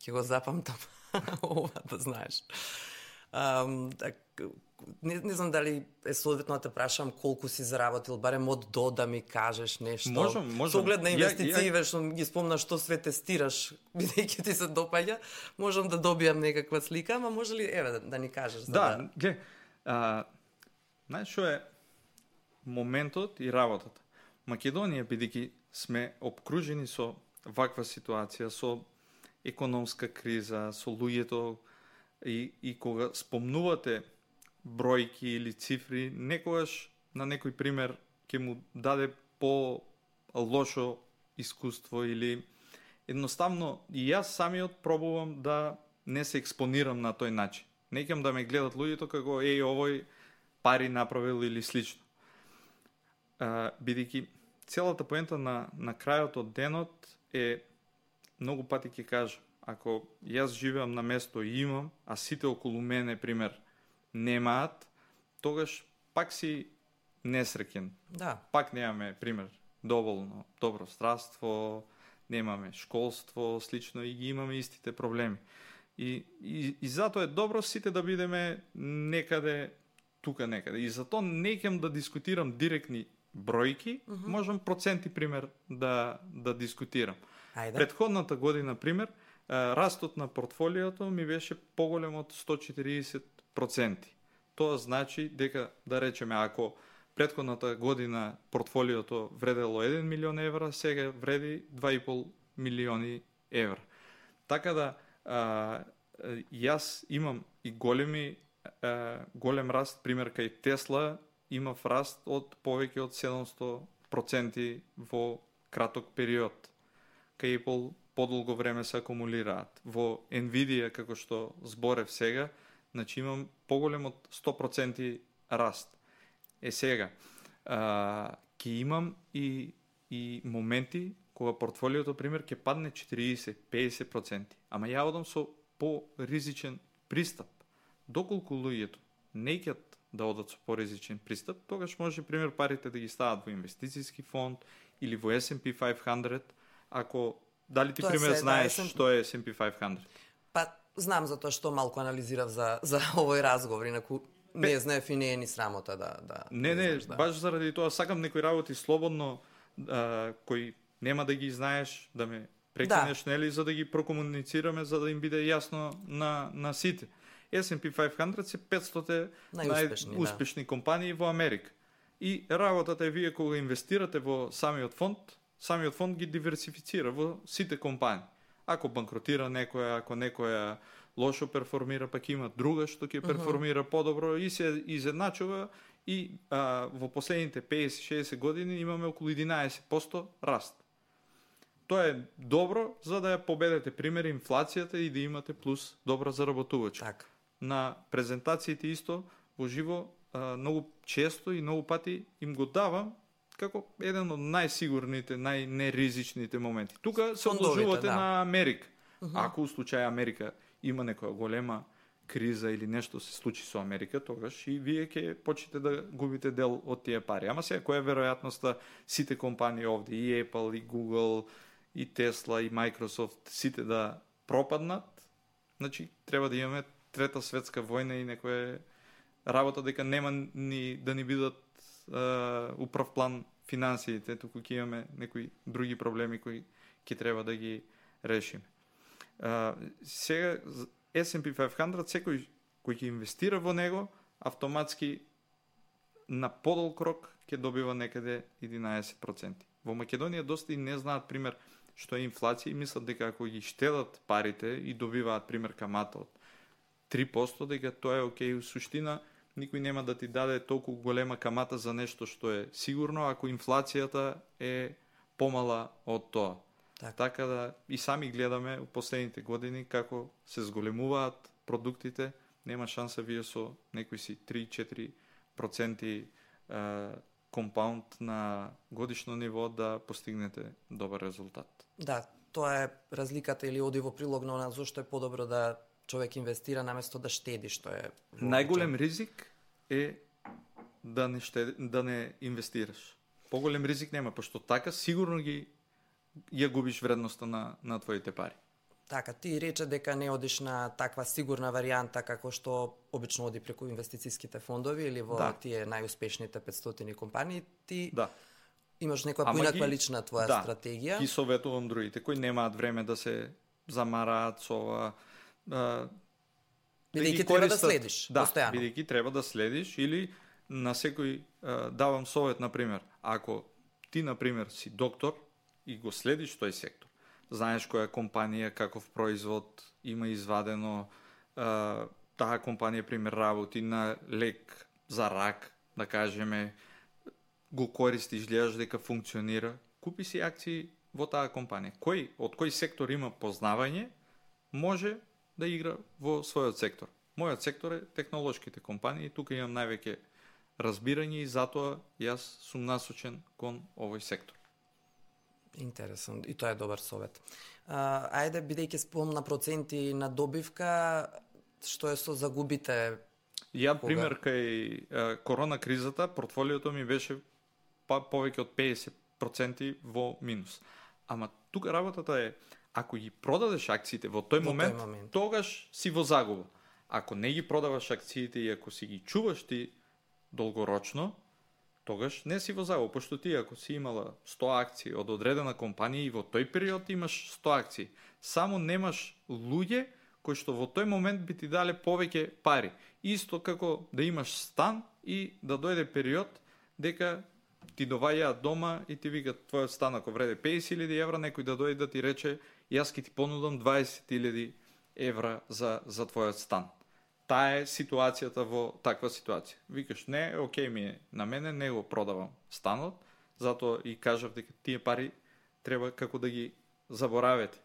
Ќе го запамтам ова, да знаеш. Um, так, не, не знам дали е соодветно да те прашам колку си заработил, барем од до да ми кажеш нешто. Можам, можам. Со оглед на инвестиции, ја, ја... што ги спомна што све тестираш, бидејќи ти се допаѓа, можам да добијам некаква слика, ама може ли, еве, да, да ни кажеш? За да, да... ге, а, знаеш што е моментот и работата. Македонија, бидејќи сме обкружени со ваква ситуација, со економска криза, со луѓето, и, и кога спомнувате бројки или цифри, некогаш на некој пример ќе му даде по лошо искуство или едноставно и јас самиот пробувам да не се експонирам на тој начин. Не ќе да ме гледат луѓето како еј овој пари направил или слично. А, бидејќи целата поента на на крајот од денот е, многу пати ќе кажам, ако јас живеам на место и имам, а сите околу мене, пример, немаат, тогаш пак си несреќен. Да. Пак немаме, пример, доволно добро здравство, немаме школство, слично, и ги имаме истите проблеми. И, и, и затоа е добро сите да бидеме некаде, тука некаде. И затоа не ќам да дискутирам директни бројки, uh -huh. можам проценти, пример, да, да дискутирам. Ајде. Предходната година, пример, растот на портфолиото ми беше поголем од сто и четиридесет проценти. Тоа значи дека, да речеме, ако предходната година портфолиото вредело еден милион евра, сега вреди два и пол милиони евра. Така да, а, јас имам и големи, а, голем раст, пример кај Тесла, имав раст од повеќе од седумсто проценти во краток период. Кај Apple подолго време се акумулираат. Во Nvidia, како што зборев сега, значи имам поголем од сто проценти раст. Е сега, а, ќе имам и, и моменти кога портфолиото, пример, ќе падне четиридесет до педесет проценти. Ама ја одам со по-ризичен пристап. Доколку луѓето не ќе да одат со поризичен пристап, тогаш може, пример, парите да ги стават во инвестицијски фонд или во ес енд пи петстотин, ако дали ти, Тоа пример, се, знаеш да, ес енд пи... што е ес енд пи петстотин? Па, знам затоа што малку анализирав за, за овој разговор, инаку не знаев и не е ни срамота да... да не, не, знаеш, да. баш заради тоа сакам некои работи слободно, а, кои нема да ги знаеш, да ме прекинеш, да. Нели, за да ги прокомуницираме, за да им биде јасно на, на сите. ес енд пи петстотин се петстотин најуспешни, најуспешни да. компании во Америка. И работата е вие кога инвестирате во самиот фонд, самиот фонд ги диверсифицира во сите компании. Ако банкротира некоја, ако некоја лошо перформира, пак има друга што ќе перформира uh -huh. подобро и се изедначува и а, во последните педесет до шеесет години имаме околу единаесет проценти раст. Тоа е добро за да ја победете, пример, инфлацијата и да имате плюс добра заработувачка. Так. На презентациите исто во живо а, многу често и многу пати им го давам како еден од најсигурните, најнеризичните моменти. Тука се одложувате да. на Америка. Uh -huh. Ако у случај Америка има некоја голема криза или нешто се случи со Америка, тогаш и вие ќе почнете да губите дел од тие пари. Ама сега која е веројатноста сите компании овде, и Apple, и Google, и Tesla, и Microsoft, сите да пропаднат? Значи, треба да имаме трета светска војна и некоја работа дека нема ни да ни бидат uh, управ план финансиите, туку ќе имаме некои други проблеми кои ќе треба да ги решиме. Uh, сега ес енд пи петстотин, секој кој ќе инвестира во него, автоматски на подолг рок ќе добива некаде единаесет проценти. Во Македонија доста и не знаат, пример, што е инфлација и мислат дека ако ги штедат парите и добиваат, пример, камата од три проценти, дека тоа е окей. У суштина, никој нема да ти даде толку голема камата за нешто што е сигурно, ако инфлацијата е помала од тоа. Так. Така да и сами гледаме у последните години како се зголемуваат продуктите, нема шанса вие со некои си три до четири проценти е, компаунд на годишно ниво да постигнете добар резултат. Да, тоа е разликата или оди во прилог на она зашто е подобро да човек инвестира наместо да штеди, што е најголем ризик е да не штеди, да не инвестираш. Поголем ризик нема, пошто така сигурно ги ја губиш вредноста на на твоите пари. Така, ти рече дека не одиш на таква сигурна варијанта како што обично оди преку инвестицијските фондови или во да. тие најуспешните петстотини компании, ти да. имаш некоја поинаква лична твоја да, стратегија. Ги советувам другите кои немаат време да се замараат со ова. Бидејќи да треба да следиш, да, постојано. Бидејќи треба да следиш или на секој а, давам совет, например, ако ти, например, си доктор и го следиш тој сектор, знаеш која компанија, каков производ има извадено, а, таа компанија, пример, работи на лек за рак, да кажеме, го користиш, гледаш дека функционира, купи си акции во таа компанија. Кој, од кој сектор има познавање, може да игра во својот сектор. Мојот сектор е технолошките компании, тука имам највеќе разбирање и затоа јас сум насочен кон овој сектор. Интересно, и тоа е добар совет. А, ајде, бидејќи спомна проценти на добивка, што е со загубите? Ја, пример, кај а, корона кризата, портфолиото ми беше па повеќе од педесет проценти во минус. Ама тука работата е, ако ги продадеш акциите во тој во момент, тој момент, тогаш си во загуба. Ако не ги продаваш акциите и ако си ги чуваш ти долгорочно, тогаш не си во загуба, пошто ти ако си имала сто акции од одредена компанија и во тој период имаш сто акции, само немаш луѓе кои што во тој момент би ти дале повеќе пари. Исто како да имаш стан и да дојде период дека ти доваѓаат дома и ти викат твојот стан ако вреде педесет илјади евра, некој да дојде да ти рече јас ќе ти понудам дваесет илјади евра за за твојот стан. Таа е ситуацијата во таква ситуација. Викаш, не, окей ми е, на мене не го продавам станот, затоа и кажав дека тие пари треба како да ги заборавете,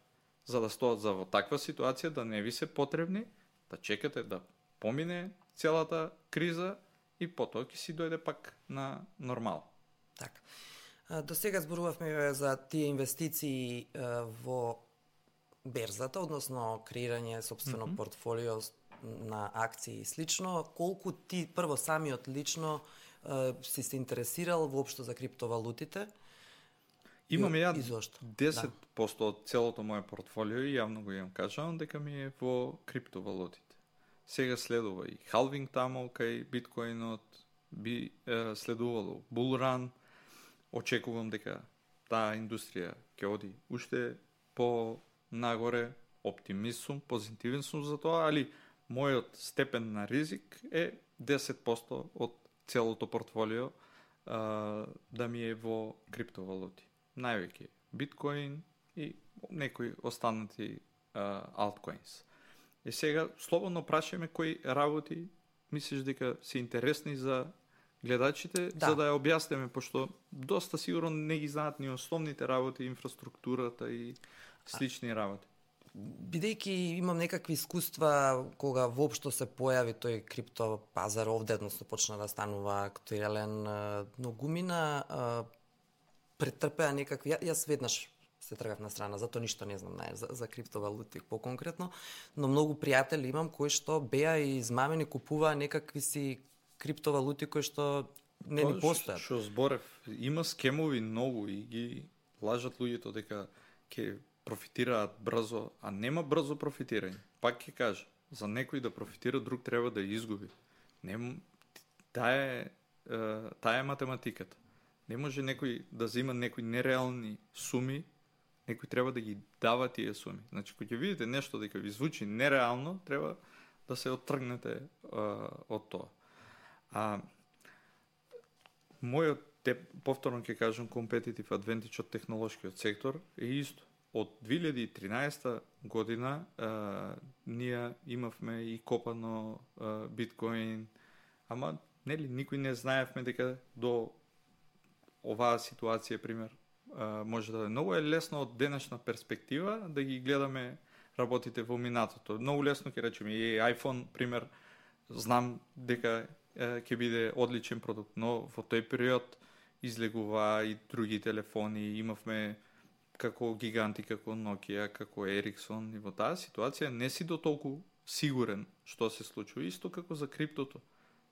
за да стоат за во таква ситуација, да не ви се потребни, да чекате да помине целата криза и потоа ќе си дојде пак на нормал. Така. До сега зборувавме за тие инвестиции во берзата, односно креирање собствено mm-hmm. портфолио на акции и слично. Колку ти прво самиот лично е, си се интересирал воопшто за криптовалутите? Имам ја изошто? десет проценти од целото моје портфолио и јавно го имам кажано дека ми е во криптовалутите. Сега следува и халвинг таму кај биткоинот, би е, следувало булран. Очекувам дека таа индустрија ќе оди уште по нагоре, оптимист сум, позитивен сум за тоа, али мојот степен на ризик е десет проценти од целото портфолио а, да ми е во криптовалути. Највеќе биткоин и некои останати алткоинс. И сега слободно прашаме кои работи мислиш дека се интересни за гледачите, да. за да ја објасниме, пошто доста сигурно не ги знаат ни основните работи, инфраструктурата и слични работи. Бидејќи имам некакви искуства кога воопшто се појави тој крипто пазар овде, односно почна да станува актуелен, многумина претрпеа некакви, јас веднаш се тргав на страна, затоа ништо не знам нај, за, за криптовалути по-конкретно, но многу пријатели имам кои што беа и измамени, купуваа некакви си криптовалути кои што не ни постојат. Што зборев, има скемови многу и ги лажат луѓето дека ќе профитираат брзо, а нема брзо профитирање. Пак ќе кажа, за некој да профитира, друг треба да изгуби. Не, таа е, таа е математиката. Не може некој да зема некои нереални суми, некој треба да ги дава тие суми. Значи, кога ќе видите нешто дека ви звучи нереално, треба да се оттргнете а, од тоа. А мојот, те, повторно ќе кажам, competitive advantage од технолошкиот сектор е исто. Од две илјади и тринаесета година а, ние имавме и копано а, биткоин, ама нели никој не знаевме дека до оваа ситуација, пример, а, може да е многу е лесно од денешна перспектива да ги гледаме работите во минатото. Многу лесно ќе речеме и iPhone, пример, знам дека ќе биде одличен продукт, но во тој период излегува и други телефони, имавме како гиганти, како Nokia, како Ericsson, и во таа ситуација не си до толку сигурен што се случува. Исто како за криптото.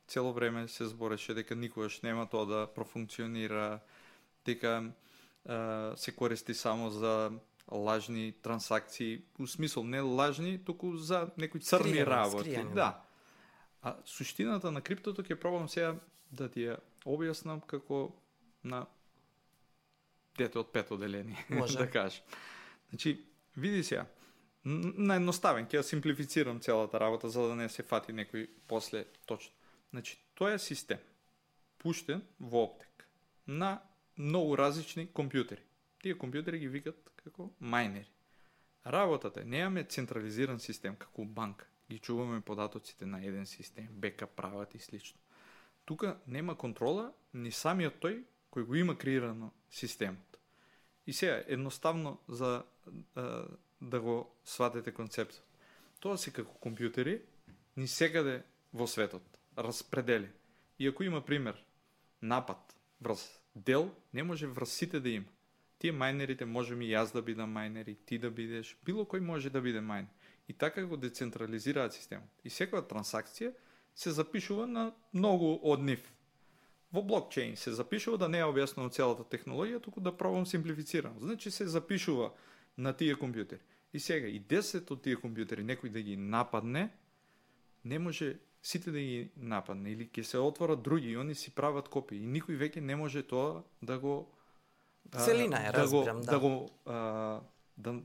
Цело време се збореше дека никогаш нема тоа да профункционира, дека а, се користи само за лажни трансакции, у смисол не лажни, туку за некои црни Скријани, работи. скријани, Да. А суштината на криптото ќе пробам сега да ти ја објаснам како на дете од пето одделение, Може. да кажам. Значи, види сега, на едноставен, ќе ја симплифицирам целата работа, за да не се фати некој после точно. Значи, тоа е систем, пуштен во оптек, на многу различни компјутери. Тие компјутери ги викат како мајнери. Работата е, немаме централизиран систем, како банка. Ги чуваме податоците на еден систем, бекап прават и слично. Тука нема контрола, ни самиот тој кој го има креирано системот. И сега, едноставно за а, да го сватите концептот. Тоа се како компјутери, ни секаде во светот, распредели. И ако има пример, напад врз дел, не може врз сите да има. Тие мајнерите можеме и јас да бидам мајнер, и ти да бидеш, било кој може да биде мајнер. И така го децентрализираат системот. И секоја трансакција се запишува на многу од нив. Во блокчейн се запишува, да не ја објаснувам целата технологија, туку да пробам симплифицирам. Значи се запишува на тие компјутери. И сега и десет од тие компјутери некој да ги нападне, не може сите да ги нападне, или ќе се отворат други и они си прават копии. И никој веќе не може тоа да го Целина е, да го, разбирам, да. да го а, да, да,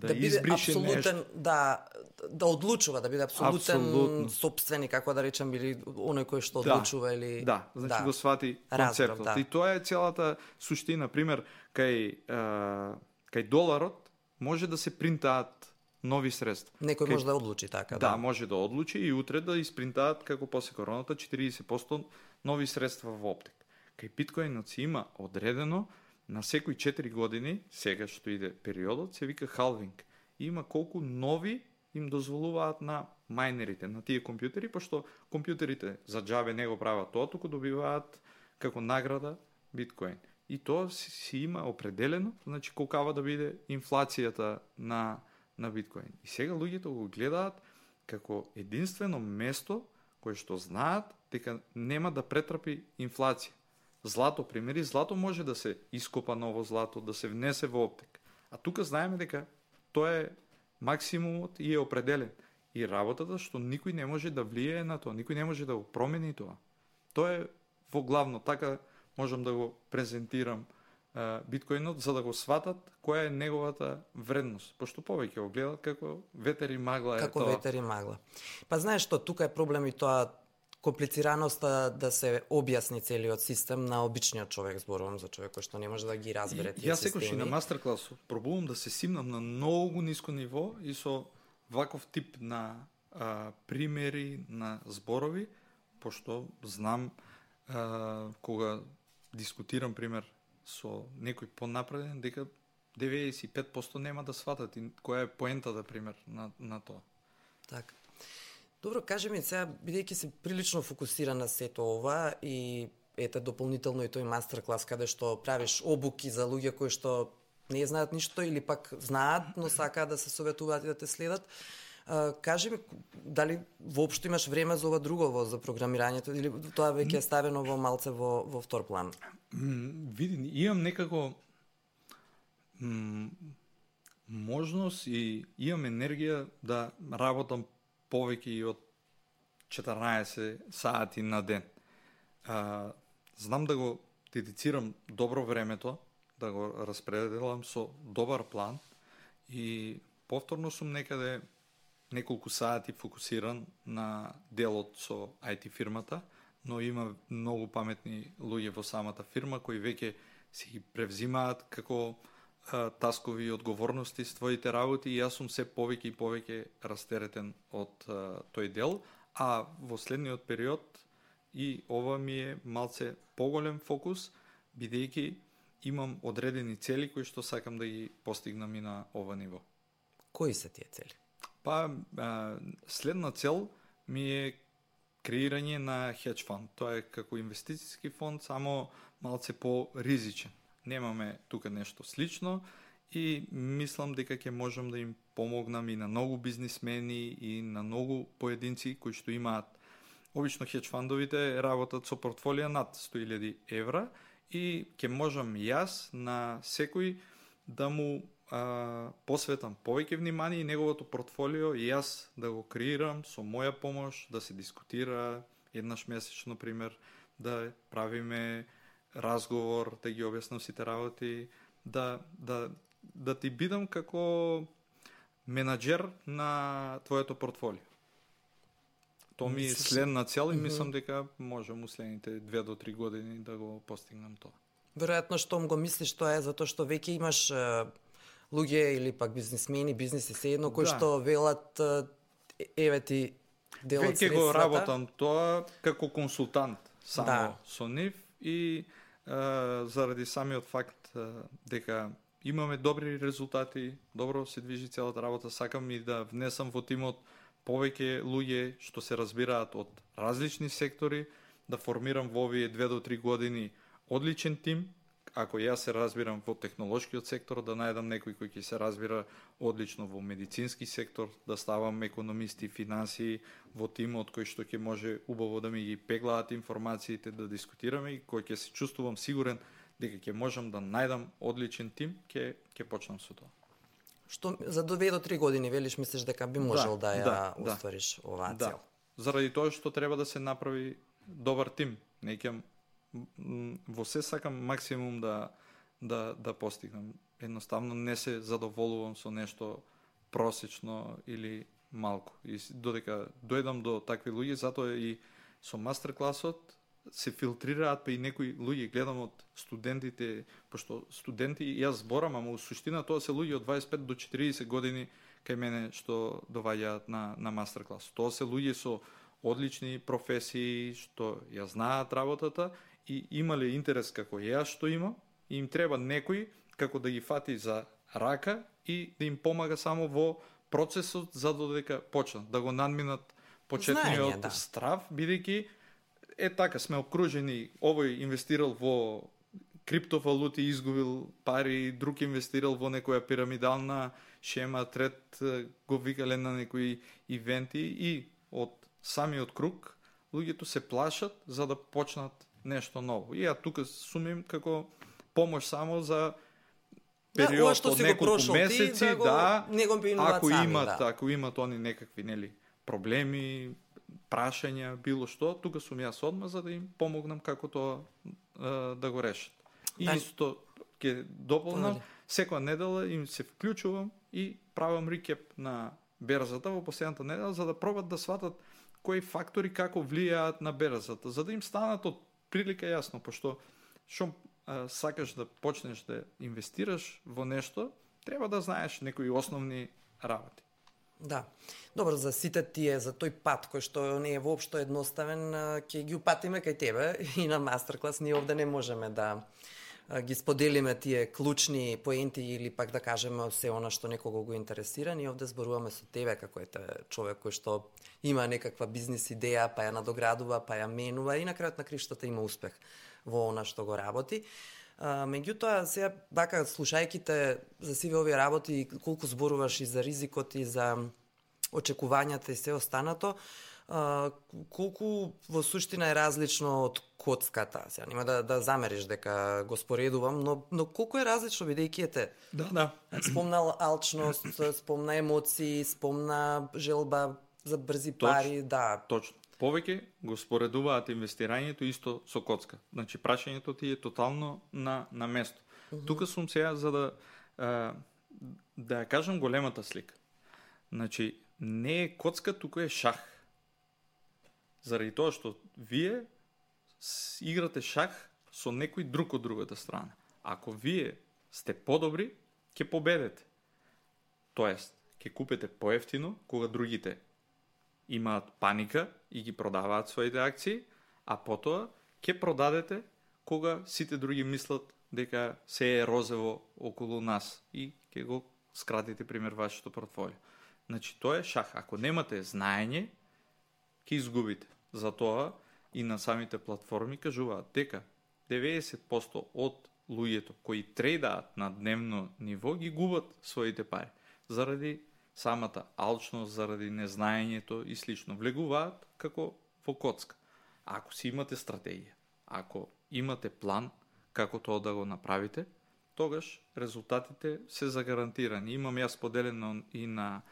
да биде избрише апсолутен, нешто. да, да одлучува, да биде апсолутен Апсолутно. сопственик, како да речем, или оној кој што Да, одлучува, или... Да, значи Да. го свати Разбрав, концептот. да. И тоа е целата суштина. Пример, кај, а, кај доларот може да се принтаат нови средства. Некој Кај- може да одлучи така, Да, да. може да одлучи и утре да испринтаат, како после короната, четириесет проценти нови средства во оптек. Кај биткоинот си има одредено на секои четири години, сега што иде периодот, се вика халвинг. И има колку нови им дозволуваат на мајнерите, на тие компјутери, пошто компјутерите за џабе не го прават тоа, туку добиваат како награда биткоин. И тоа си, си има определено, значи колкава да биде инфлацијата на, на биткоин. И сега луѓето го гледаат како единствено место кое што знаат дека нема да претрпи инфлација. Злато, примери, злато може да се ископа ново злато, да се внесе во оптек. А тука знаеме дека тоа е максимумот и е определен. И работата што никој не може да влијае на тоа, никој не може да го промени тоа. Тоа е во главно, така можам да го презентирам а, биткоинот, за да го сватат која е неговата вредност. Пошто повеќе го гледат како ветер и магла е Како тоа. ветер и магла. Па знаеш што, тука е проблем и тоа комплицираноста да се објасни целиот систем на обичниот човек, зборувам за човек кој што не може да ги разбере И, тие јас секој и на системи. мастеркласу пробувам да се симнам на многу ниско ниво и со ваков тип на а, примери, на зборови, пошто знам а, кога дискутирам пример со некој понапреден, дека деветдесет и пет проценти нема да сватат и која е поентата пример на, на тоа. Така. Добро, кажи ми сега, бидејќи се прилично фокусиран на сето ова и ете дополнително и тој мастер-клас каде што правиш обуки за луѓе кои што не знаат ништо или пак знаат, но сакаат да се советуваат и да те следат. А, кажи ми, дали воопшто имаш време за ова друго, за програмирањето, или тоа веќе е ставено во малце во, во втор план? М, види, имам некако м, можност и имам енергија да работам повеќе и од четрнаесет сати на ден. А, знам да го дедицирам добро времето, да го распределам со добар план и повторно сум некаде неколку сати фокусиран на делот со ај ти фирмата, но има многу паметни луѓе во самата фирма кои веќе си ги превзимаат како а, таскови и одговорности своите работи и јас сум се повеќе и повеќе растеретен од а, тој дел, а во следниот период и ова ми е малце поголем фокус, бидејќи имам одредени цели кои што сакам да ги постигнам и на ова ниво. Кои се тие цели? Па, а, следна цел ми е креирање на хедж фонд. Тоа е како инвестициски фонд, само малце по-ризичен. Немаме тука нешто слично и мислам дека ќе можам да им помогнам и на многу бизнисмени и на многу поединци кои што имаат. Обично хедж фандовите работат со портфолија над сто илјади евра и ќе можам јас на секој да му а, посветам повеќе внимание и неговото портфолио и јас да го креирам со моја помош, да се дискутира еднаш месечно, пример, да правиме разговор, да ги објаснам сите работи, да, да, да ти бидам како менаџер на твоето портфолио. То ми е следна цел и мислам дека можам у следните две до три години да го постигнам тоа. Веројатно штом го мислиш тоа е затоа што веќе имаш е, луѓе или пак бизнисмени, бизниси се едно кои Да. што велат е, еве ти дел од Веќе средствата. го работам тоа како консултант само Да. со нив и е, заради самиот факт е, дека имаме добри резултати, добро се движи целата работа, сакам и да внесам во тимот повеќе луѓе што се разбираат од различни сектори, да формирам во овие две до три години одличен тим. Ако јас се разбирам во технолошкиот сектор, да најдам некој кој ќе се разбира одлично во медицински сектор, да ставам економисти, финансии во тимот кој што ќе може убаво да ми ги пеглаат информациите, да дискутираме и кој ќе се чувствувам сигурен дека ќе можам да најдам одличен тим, ќе ќе почнам со тоа. Што за две до три години велиш мислиш дека би можел да, Да, ја да, да. оствариш оваа Да. цел. Заради тоа што треба да се направи добар тим. Не ќе м, во се сакам максимум да да да постигнам. Едноставно не се задоволувам со нешто просечно или малку. И с- додека дојдам до такви луѓе, затоа и со мастер-класот се филтрираат па и некои луѓе гледам од студентите, пошто студенти јас зборам, ама у суштина тоа се луѓе од дваесет и пет до четиридесет години кај мене што доваѓаат на на мастер-клас. Тоа се луѓе со одлични професии што ја знаат работата и имале интерес како јас што имам, и им треба некој како да ги фати за рака и да им помага само во процесот за додека почнат да го надминат почетниот Знаење, да. страв, бидејќи е така сме окружени, овој инвестирал во криптовалути, изгубил пари, друг инвестирал во некоја пирамидална шема, трет е, го викале на некои ивенти и од самиот круг луѓето се плашат за да почнат нешто ново. И ја тука сумим како помош само за Да, ова период што од си го неколку прошол ти, месеци, да го- да, не го пинуваат ако сами, имат, да. ако имат они некакви нели проблеми, прашања, било што, тука сум јас одма за да им помогнам како тоа е, да го решат. И Да. исто ќе дополнам, Понеде. секоја недела им се вклучувам и правам рикеп на берзата во последната недела за да пробат да сватат кои фактори како влијаат на берзата, за да им станат од прилика јасно, пошто шо а, сакаш да почнеш да инвестираш во нешто, треба да знаеш некои основни работи. Да. Добро, за сите тие, за тој пат кој што не е воопшто едноставен, а, ќе ги упатиме кај тебе и на мастер-клас. Ние овде не можеме да а, ги споделиме тие клучни поенти или пак да кажеме се она што некого го интересира. Ние овде зборуваме со тебе како ете човек кој што има некаква бизнис идеја, па ја надоградува, па ја менува и на крајот на криштата има успех во она што го работи. А, меѓутоа, сега, вака, слушајќи те за сиве овие работи, колку зборуваш и за ризикот и за очекувањата и се останато, а, колку во суштина е различно од коцката? Сега нема да, да замериш дека го споредувам, но, но колку е различно, бидејќи ете, Да, да. спомна алчност, спомна емоции, спомна желба за брзи Точно. пари, да. Точно. Повеќе го споредуваат инвестирањето исто со коцка. Значи прашањето ти е тотално на на место. Uh -huh. Тука сум сега за да а, да ја кажам големата слика. Значи не е коцка, туку е шах. Заради тоа што вие с- играте шах со некој друг од другата страна. Ако вие сте подобри, ќе победете. Тоест, ќе купите поевтино кога другите имаат паника и ги продаваат своите акции, а потоа ќе продадете кога сите други мислат дека се е розево околу нас и ќе го скратите пример вашето портфолио. Значи тоа е шах. Ако немате знаење, ќе изгубите. Затоа и на самите платформи кажуваат дека деветдесет проценти од луѓето кои трейдаат на дневно ниво ги губат своите пари заради самата алчност, заради незнаењето и слично. Влегуваат како во коцка. Ако си имате стратегија, ако имате план како тоа да го направите, тогаш резултатите се загарантирани. Имам јас поделено и на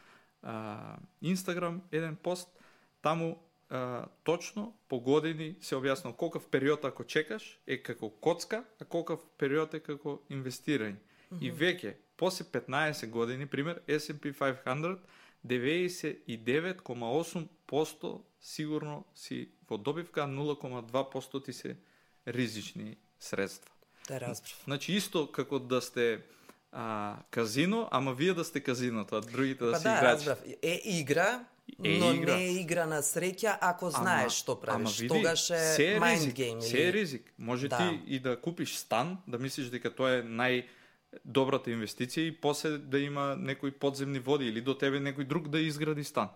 а, Instagram еден пост, таму а, точно по години се објаснува колкав период ако чекаш е како коцка, а колкав период е како инвестирање. Mm-hmm. И веќе, после петнаесет години, пример, ес енд пи петстотини, деветдесет и девет кома осум проценти сигурно си во добивка, а нула кома два проценти ти се ризични средства. Да, разбрав. Значи, исто како да сте а, казино, ама вие да сте казиното, а другите да па си да, играчи. Разбрав. Е игра, е но игра. не е игра на среќа ако знаеш што правиш. Види, Тогаш е се mind ризик, game. Се или... е ризик. Може да. ти и да купиш стан, да мислиш дека тоа е најдобрата инвестиција и после да има некои подземни води или до тебе некој друг да изгради стан.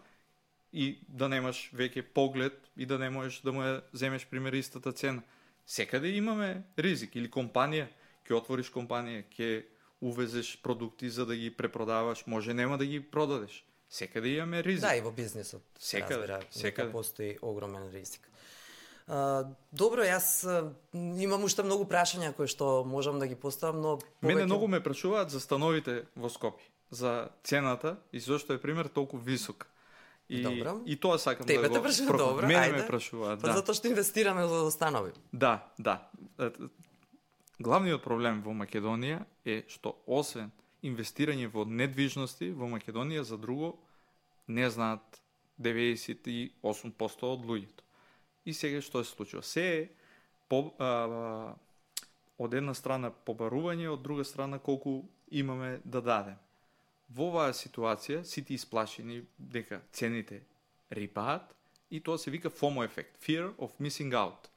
И да немаш веќе поглед и да не можеш да му ја земеш пример истата цена. Секаде имаме ризик. Или компанија, ќе отвориш компанија, ќе увезеш продукти за да ги препродаваш, може нема да ги продадеш. Секаде имаме ризик. Да, и во бизнисот. Секаде, разбира, секаде. Постои огромен ризик. А, добро, јас а, имам уште многу прашања кои што можам да ги поставам, но повеќе... Мене многу ме прашуваат за становите во Скопје, за цената и зошто е пример толку висок. И, добро. И тоа сакам Тебе да го прашуваат, проком... добро, Мене ајде. ме прашуваат, па да. затоа што инвестираме во станови. Да, да. Главниот проблем во Македонија е што освен инвестирање во недвижности во Македонија за друго не знаат деветдесет и осум проценти од луѓето. И сега што се случува? Се е по, а, од една страна побарување, од друга страна колку имаме да дадем. Во оваа ситуација сите исплашени дека цените рипаат и тоа се вика FOMO ефект, Fear of Missing Out.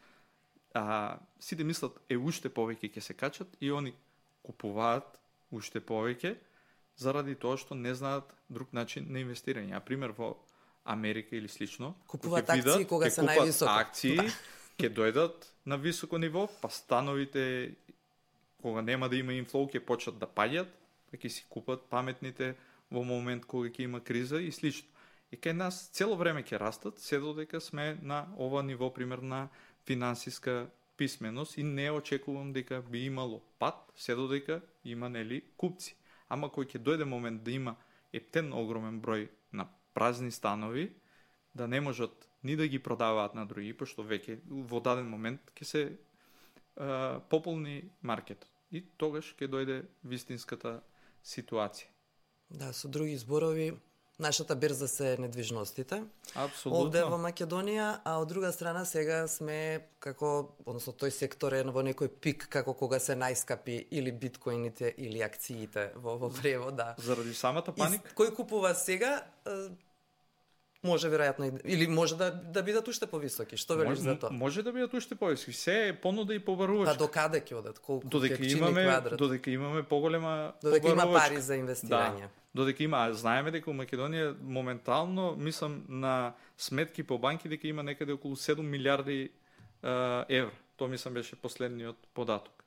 А, сите мислат е уште повеќе ќе се качат и они купуваат уште повеќе заради тоа што не знаат друг начин на инвестирање. А пример во Америка или слично, Купуваат ќе акции кога се највисоко. акции, ќе дојдат на високо ниво, па становите кога нема да има инфлоу ќе почнат да паѓат, па ќе си купат паметните во момент кога ќе има криза и слично. И кај нас цело време ќе растат, се додека сме на ова ниво пример на финансиска писменост и не очекувам дека би имало пат, се додека има нели купци. Ама кој ќе дојде момент да има ептен огромен број на празни станови, да не можат ни да ги продаваат на други, пошто веќе во даден момент ќе се а, пополни маркетот. И тогаш ќе дојде вистинската ситуација. Да, со други зборови, нашата берза се недвижностите. Апсолутно. Овде во Македонија, а од друга страна сега сме како, односно тој сектор е во некој пик како кога се најскапи или биткоините или акциите во во превод, да. Заради самата паника? И кој купува сега, може веројатно или може да да бидат уште повисоки. Што велиш за тоа? Може да бидат уште повисоки. Се е понуда и побарувачка. Па до каде ќе одат? Колку додека ќе имаме квадрат? додека имаме поголема Додека има побарувачка. пари за инвестирање. Да. Додека има, знаеме дека у Македонија моментално, мислам на сметки по банки дека има некаде околу седум милиарди uh, евра. Тоа мислам беше последниот податок.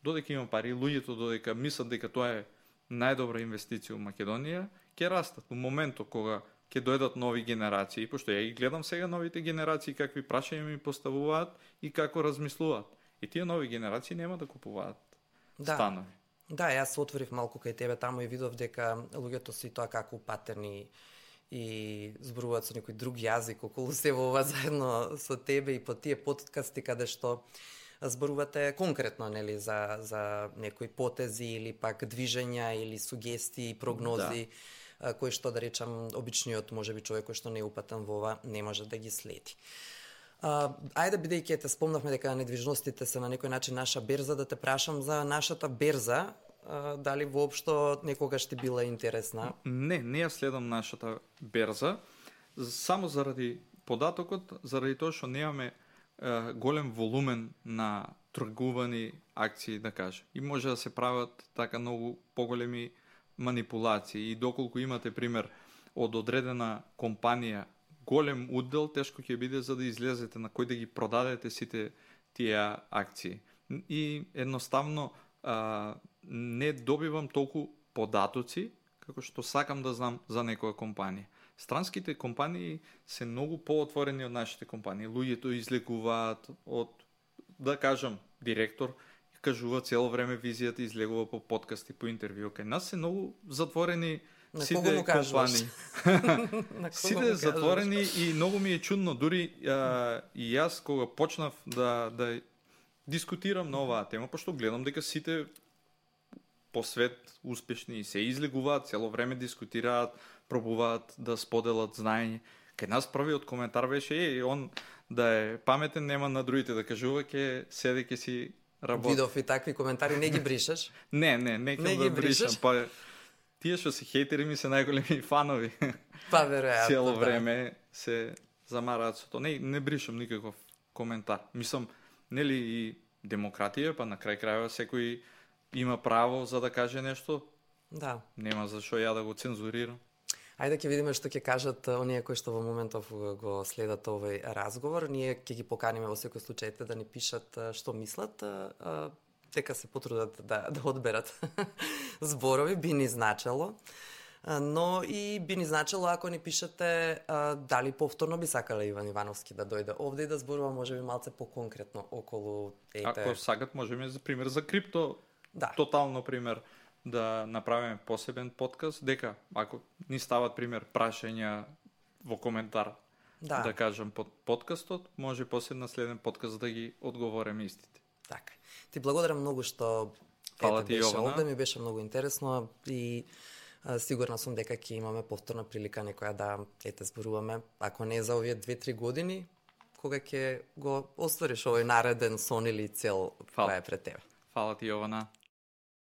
Додека има пари, луѓето додека мислат дека тоа е најдобра инвестиција у Македонија, ќе растат. У моментот кога ќе дојдат нови генерации, пошто ја ги гледам сега новите генерации какви прашања ми поставуваат и како размислуваат. И тие нови генерации нема да купуваат да. станови. Да, јас отворив малку кај тебе таму и видов дека луѓето си тоа како патерни и зборуваат со некој друг јазик околу се во ова заедно со тебе и по тие подкасти каде што зборувате конкретно нели за за некои потези или пак движења или сугестии, прогнози, да. кои што да речам обичниот можеби човек кој што не е упатен во ова не може да ги следи. Uh, ајде, бидејќи те спомнавме дека недвижностите се на некој начин наша берза, да те прашам за нашата берза, uh, дали воопшто некогаш ти била интересна? Не, не ја следам нашата берза, само заради податокот, заради тоа што немаме uh, голем волумен на тргувани акции, да кажем. И може да се прават така многу поголеми манипулации. И доколку имате пример од одредена компанија голем удел, тешко ќе биде за да излезете на кој да ги продадете сите тие акции. И едноставно а, не добивам толку податоци како што сакам да знам за некоја компанија. Странските компании се многу поотворени од нашите компании. Луѓето излегуваат од, да кажам, директор кажува цело време визијата, излегува по подкасти, по интервју. Кај нас се многу затворени на сите компании. Сите затворени и многу ми е чудно. Дури а, и јас кога почнав да да дискутирам на оваа тема, пошто гледам дека сите по свет успешни и се излегуваат, цело време дискутираат, пробуваат да споделат знаење. Кај нас првиот коментар беше е, он да е паметен, нема на другите да кажува, ќе седе ќе си работи. Видов и такви коментари, не ги бришаш? Не, не, не ќе да бришам, па тие што се хейтери ми се најголеми фанови. Па веројатно. Цело време се замараат со тоа. Не, не бришам никаков коментар. Мислам, нели и демократија, па на крај крајва секој има право за да каже нешто. Да. Нема зашо ја да го цензурирам. Ајде ќе видиме што ќе кажат оние кои што во моментов го следат овој разговор. Ние ќе ги поканиме во секој случај да ни пишат што мислат, дека се потрудат да, да одберат зборови, би ни значело. Но и би ни значело ако ни пишете а, дали повторно би сакале Иван Ивановски да дојде овде и да зборува можеби малце поконкретно околу ете. Ако сакат можеме за пример за крипто, да. Тотално пример да направиме посебен подкаст, дека ако ни стават пример прашања во коментар, да, да кажам под подкастот, може после на следен подкаст да ги одговориме истите. Така. Ти благодарам многу што Фала ти, беше Јована. овде, ми беше многу интересно и а, сигурна сум дека ќе имаме повторна прилика некоја да ете зборуваме, ако не за овие две-три години, кога ќе го оствариш овој нареден сон или цел која е пред тебе. Фала ти, Јована.